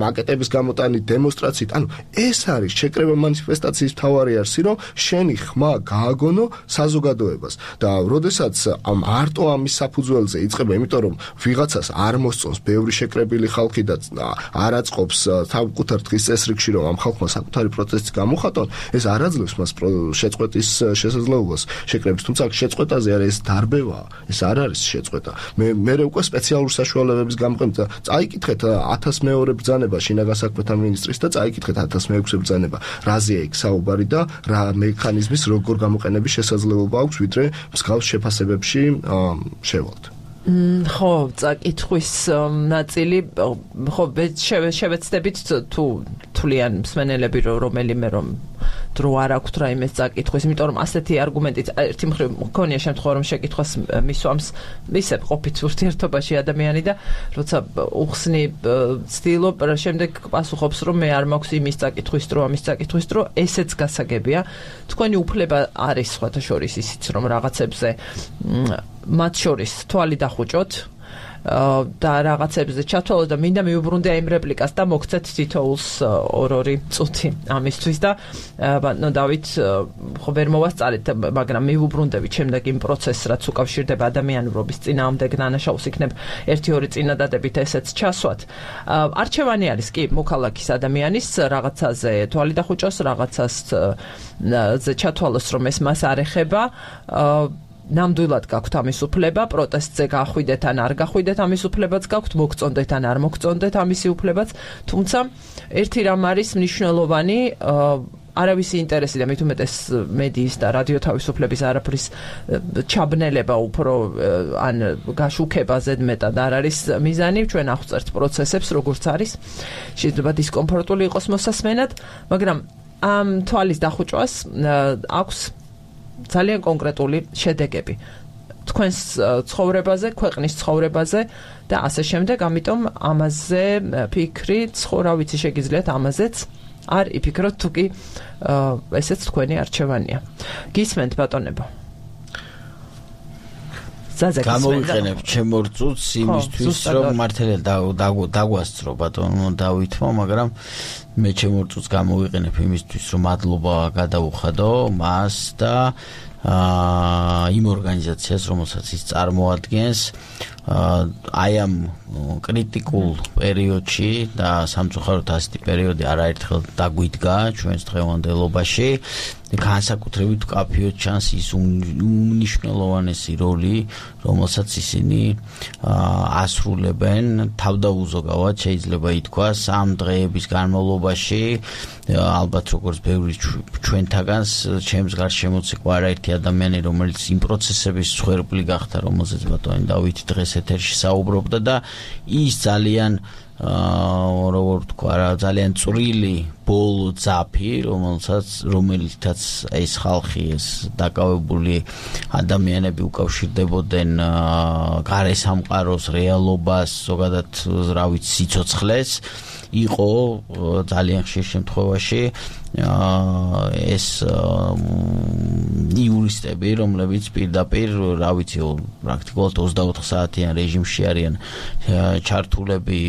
Speaker 3: მაკეტების გამოტანით, დემონსტრაციით. ანუ ეს არის შეკრება მანიფესტაციის მთავარი არსი, რომ შენი ხმა გააგონო საზოგადოებას და როდესაც არტო ამის საფუძველზე იწყება, იმიტომ რომ ვიღაცას არ მოსწონს ბევრი შეკრებილი ხალხი და არ აწყობს საკუთარ დღის წესრიგში, რომ ამ ხალხმა საკუთარი პროტესტი გამოხატონ, ეს არ აძლევს მას შეწყვეტის შესაძლებლობას შეკრების. თუმცა შეწყვეტაზე არის ეს დარბევაა, ეს არ არის შეწყვეტა. მე უკვე სპეციალურ საშუალებების გამყენდა. წაიკითხეთ 1000 მეორე ბრძანება შინაგან საქმეთა მინისტრის და წაიკითხეთ 1006 ბრძანება. რაზეა იქ საუბარი და რა მექანიზმის როგორ გამოყენების შესაძლებლობა აქვს, ვიდრე მსგავს შეფასებებში შევალთ.
Speaker 1: ხო, წაკითხვის ნაწილი, ხო, შევეცდებით თუ თვლიან მსმენელები რომელიმე რომ დრო არ აქვთ რაიმე წაკითხვის, იმიტომ რომ ასეთი არგუმენტით ერთი მხრივ მქონია შემთხვევა რომ შეკითხვას მისვამს ისე ყოფით ურთიერთობაში ადამიანი და როცა უხსნი ცდილობ შემდეგ პასუხობს რომ მე არ მაქვს იმის წაკითხვის დრო, ამის წაკითხვის დრო, ესეც გასაგებია. თქვენი უფლება არის სხვათა შორის ისიც რომ რაღაცებზე მათ შორის თვალი დახუჭოთ და რაღაცებზე ჩათვალოთ და მინდა მიუბრუნდე იმ რეპლიკას და მოგცეთ თითოეულს 2 წუთი ამისთვის და ბატონო დავით ხო ვერ მოვასწარეთ, მაგრამ მიუბრუნდებით შემდეგ იმ პროცესს, რაც უკავშირდება ადამიანურობის წინააღმდეგ დანაშაულს, იქნებ 1-2 წინადადებით ესეც ჩასვათ. არჩევანი არის კი მოქალაქის ადამიანის რაღაცაზე თვალი დახუჭოს, რაღაცაზე ჩათვალოს რომ ეს მას არ ეხება. ნამდვილად გაქვთ ამის უფლება, პროტესტზე გახვიდეთ ან არ გახვიდეთ ამის უფლებაც გაქვთ, მოგწონდეთ ან არ მოგწონდეთ ამისი უფლებაც, თუმცა ერთი რამ არის მნიშვნელოვანი, არავისი ინტერესი და მით უმეტეს მედიის და რადიო თავისუფლების არაფრის ჩაბნელება უფრო ან გაშუქება ზედმეტად არ არის მიზანი, ჩვენ აღწერთ პროცესებს როგორც არის, შეიძლება დისკომფორტული იყოს მოსასმენად, მაგრამ ამ თვალის დახუჭვას აქვს ძალიან კონკრეტული შედეგები თქვენს ცხოვრებაზე, ქვეყნის ცხოვრებაზე და ასე შემდეგ, ამიტომ ამაზე ფიქრი, რა ვიცი, შეგიძლიათ ამაზეც არ იფიქროთ, თუ კი ესეც თქვენი არჩევანია. გისმენთ ბატონებო?
Speaker 2: გამოვიყენებ ჩემო რწუთს იმისთვის, რომ მართალია დაგვასწრო ბატონო დავითმა, მაგრამ მე ჩემო რწუთს გამოვიყენებ იმისთვის, რომ მადლობა გადაუხადო მას და იმ ორგანიზაციას, რომელსაც ის წარმოადგენს, აი ამ კრიტიკულ პერიოდში და სამწუხაროდ ასეთი პერიოდი არაერთხელ დაგვიდგა ჩვენს დღევანდელობაში. განსაკუთრებით კაფეოდ ჩანს ის უმნიშვნელოვანესი როლი, რომელსაც ისინი ასრულებენ თავდაუზოგავად, შეიძლება ითქვას, ამ დღეების განმავლობაში, ალბათ როგორც ბევრი ჩვენთაგანს, ჩემს გარშემოც იყო არაერთი ადამიანი, რომელიც იმ პროცესების მსხვერპლი გახდა, რომელზეც ბატონი დავითი დღეს ეთერში საუბრობდა და ის ძალიან როგორ თქვა რა, ძალიან წვრილი ბოლო ძაფი, რომელთაც ეს ხალხი, ეს დაკავებული ადამიანები უკავშირდებოდნენ გარესამყაროს რეალობას, ზოგადად რა ვიცი, სიცოცხლეს, იყო ძალიან ხშირ შემთხვევაში ეს იურისტები, რომლებიც პირდაპირ, რა ვიცი, პრაქტიკულად 24 საათიან რეჟიმში არიან ჩართულები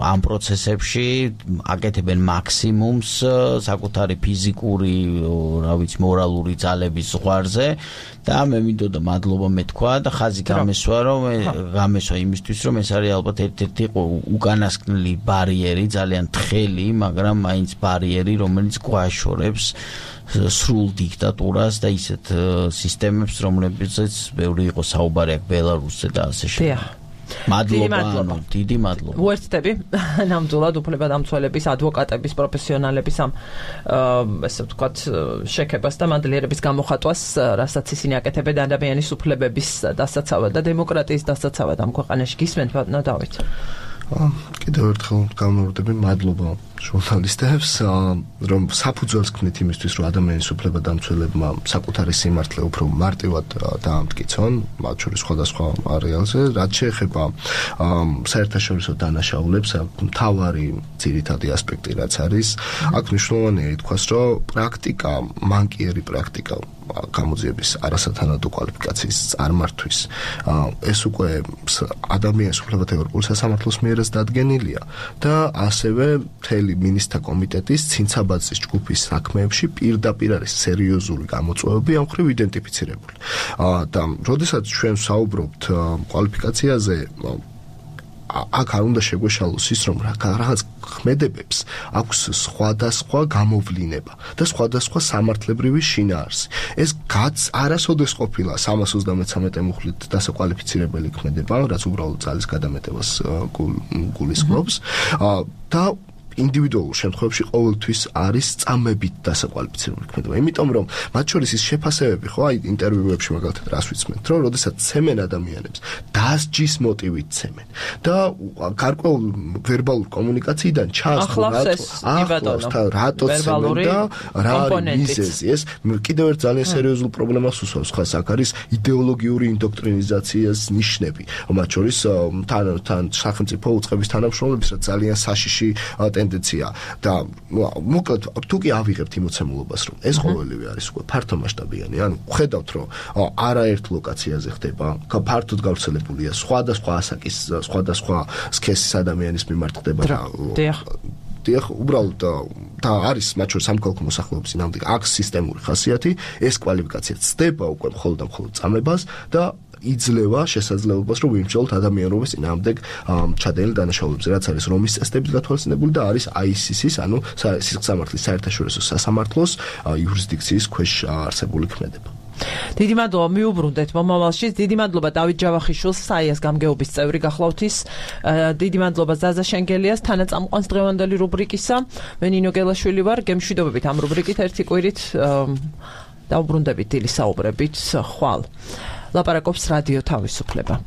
Speaker 2: ამ პროცესებში, აკეთებენ მაქსიმუმს საკუთარი ფიზიკური, რა ვიცი, მორალური ძალების ზღვარზე და მე მინდოდა მადლობა მეთქვა და ხაზი გამესვა იმისთვის, რომ ეს არის ალბათ ერთ-ერთი უკანასკნელი ბარიერი, ძალიან თხელი, მაგრამ მაინც ბარიერი, რომელიც გვაშორებს სრულ დიქტატურას და ისეთ სისტემებს, რომლებზეც ბევრი იყო საუბარი აქ ბელარუსზე და ასე შემდეგ. მადლობა, დიდი მადლობა.
Speaker 1: უერთდები ნამდვილად უფლებადამცველების, ადვოკატების, პროფესიონალების ამ ესე ვთქვათ შექებას და მადლიერების გამოხატვას, რასაც ისინი აკეთებენ ადამიანის უფლებების დასაცავად და დემოკრატიის დასაცავად ამ ქვეყანაში. გისმენთ ბატონო დავით?
Speaker 3: კიდევ ერთხელ გამოვდები, მადლობა ჟურნალისტებს, რომ საფუძველს ქმნით იმისთვის, რომ ადამიანის უფლებადამცველებმა საკუთარი სიმართლე უფრო მარტივად დაამტკიცონ, მათ შორის სხვადასხვა არეალზე, რაც შეეხება საერთაშორისო დანაშაულებს, მთავარი ძირითადი ასპექტი რაც არის, აქ მნიშვნელოვანია ითქვას, რომ პრაქტიკა, მანკიერი პრაქტიკა გამოძიების არასათანადო კვალიფიკაციის წარმართვის ეს უკვე ადამიანის უფლებათა ევროპული სასამართლოს მიერაც დადგენილია და ასევე მთელი მინისტრთა კომიტეტის ცინცაბაძის ჯგუფის საქმეებში პირდაპირ არის სერიოზული გამოწვევები ამ მხრივ იდენტიფიცირებული და როდესაც ჩვენ საუბრობთ კვალიფიკაციაზე აქ არ უნდა შეგვეშალოს ის, რომ რაღაც ქმედებებს აქვს სხვადასხვა გამოვლინება და სხვადასხვა სამართლებრივი შინაარსი. ეს არასოდეს ყოფილა 333 მუხლით დასაკვალიფიცირებელი ქმედება, რაც უბრალოდ ძალის გადამეტებას გულისხმობს და ინდივიდუალურ შემთხვევებში ყოველთვის არის წამებით დასაკვალიფიცირებული ქმედება. იმიტომ რომ მათ შორის ის შეფასებები ხო აი ინტერვიუებში მაგალითად რას ვიცმენთ, რომ როდესაც ცემენ ადამიანებს დასჯის მოტივით ცემენ და გარკვეულ ვერბალურ კომუნიკაციიდან ჩანს რატო ცემენ და რა მიზეზი ეს კიდევ ერთ ძალიან სერიოზულ პრობლემას უსვამს ხას აქ არის იდეოლოგიური ინდოქტრინიზაციის ნიშნები. მათ შორის თან სახელმწიფო უწყების თანამშრომლების რა ძალიან საშიში ტენდენცია და მოკლედ თუ კი ავიღებთ იმოცემულობას რომ ეს ყოველივე არის უკვე ფართო მასშტაბიანი ანუ ხედავთ რომ არაერთ ლოკაციაზე ხდება ფართოდ გავრცელებულია სხვადასხვა ასაკის სხვადასხვა სქესის ადამიანის მიმართ ხდება დიახ უბრალოდ და არის მათ შორის სამოქალაქო მოსახლეობის ნამდვილად აქ სისტემური ხასიათი ეს კვალიფიკაცია ცდება უკვე მხოლოდ და მხოლოდ წამებას და იძლევა შესაძლებლობას რომ ვიმსჯელოთ ადამიანობის წინააღმდეგ ჩადენილ დანაშაულებებზე რაც არის რომის წესდებით გათვალისწინებული და არის ICC-ის ანუ სისხლსამართლის საერთაშორისო სასამართლოს იურისდიქციის ქვეშ არსებული ქმედება.
Speaker 1: დიდი მადლობა მიუბრუნდეთ მომავალში. დიდი მადლობა დავით ჯავახიშვილს, საიას გამგეობის წევრი გახლავთ ის. დიდი მადლობა ზაზა შენგელიას, თანაწამყვანს დღევანდელი რუბრიკისა. მე ნინო გელაშვილი ვარ, გემშვიდობებით ამ რუბრიკით ერთი კვირით დავუბრუნდებით დილის საუბრებით ხვალ. ლაპარაკობს რადიო თავისუფლება.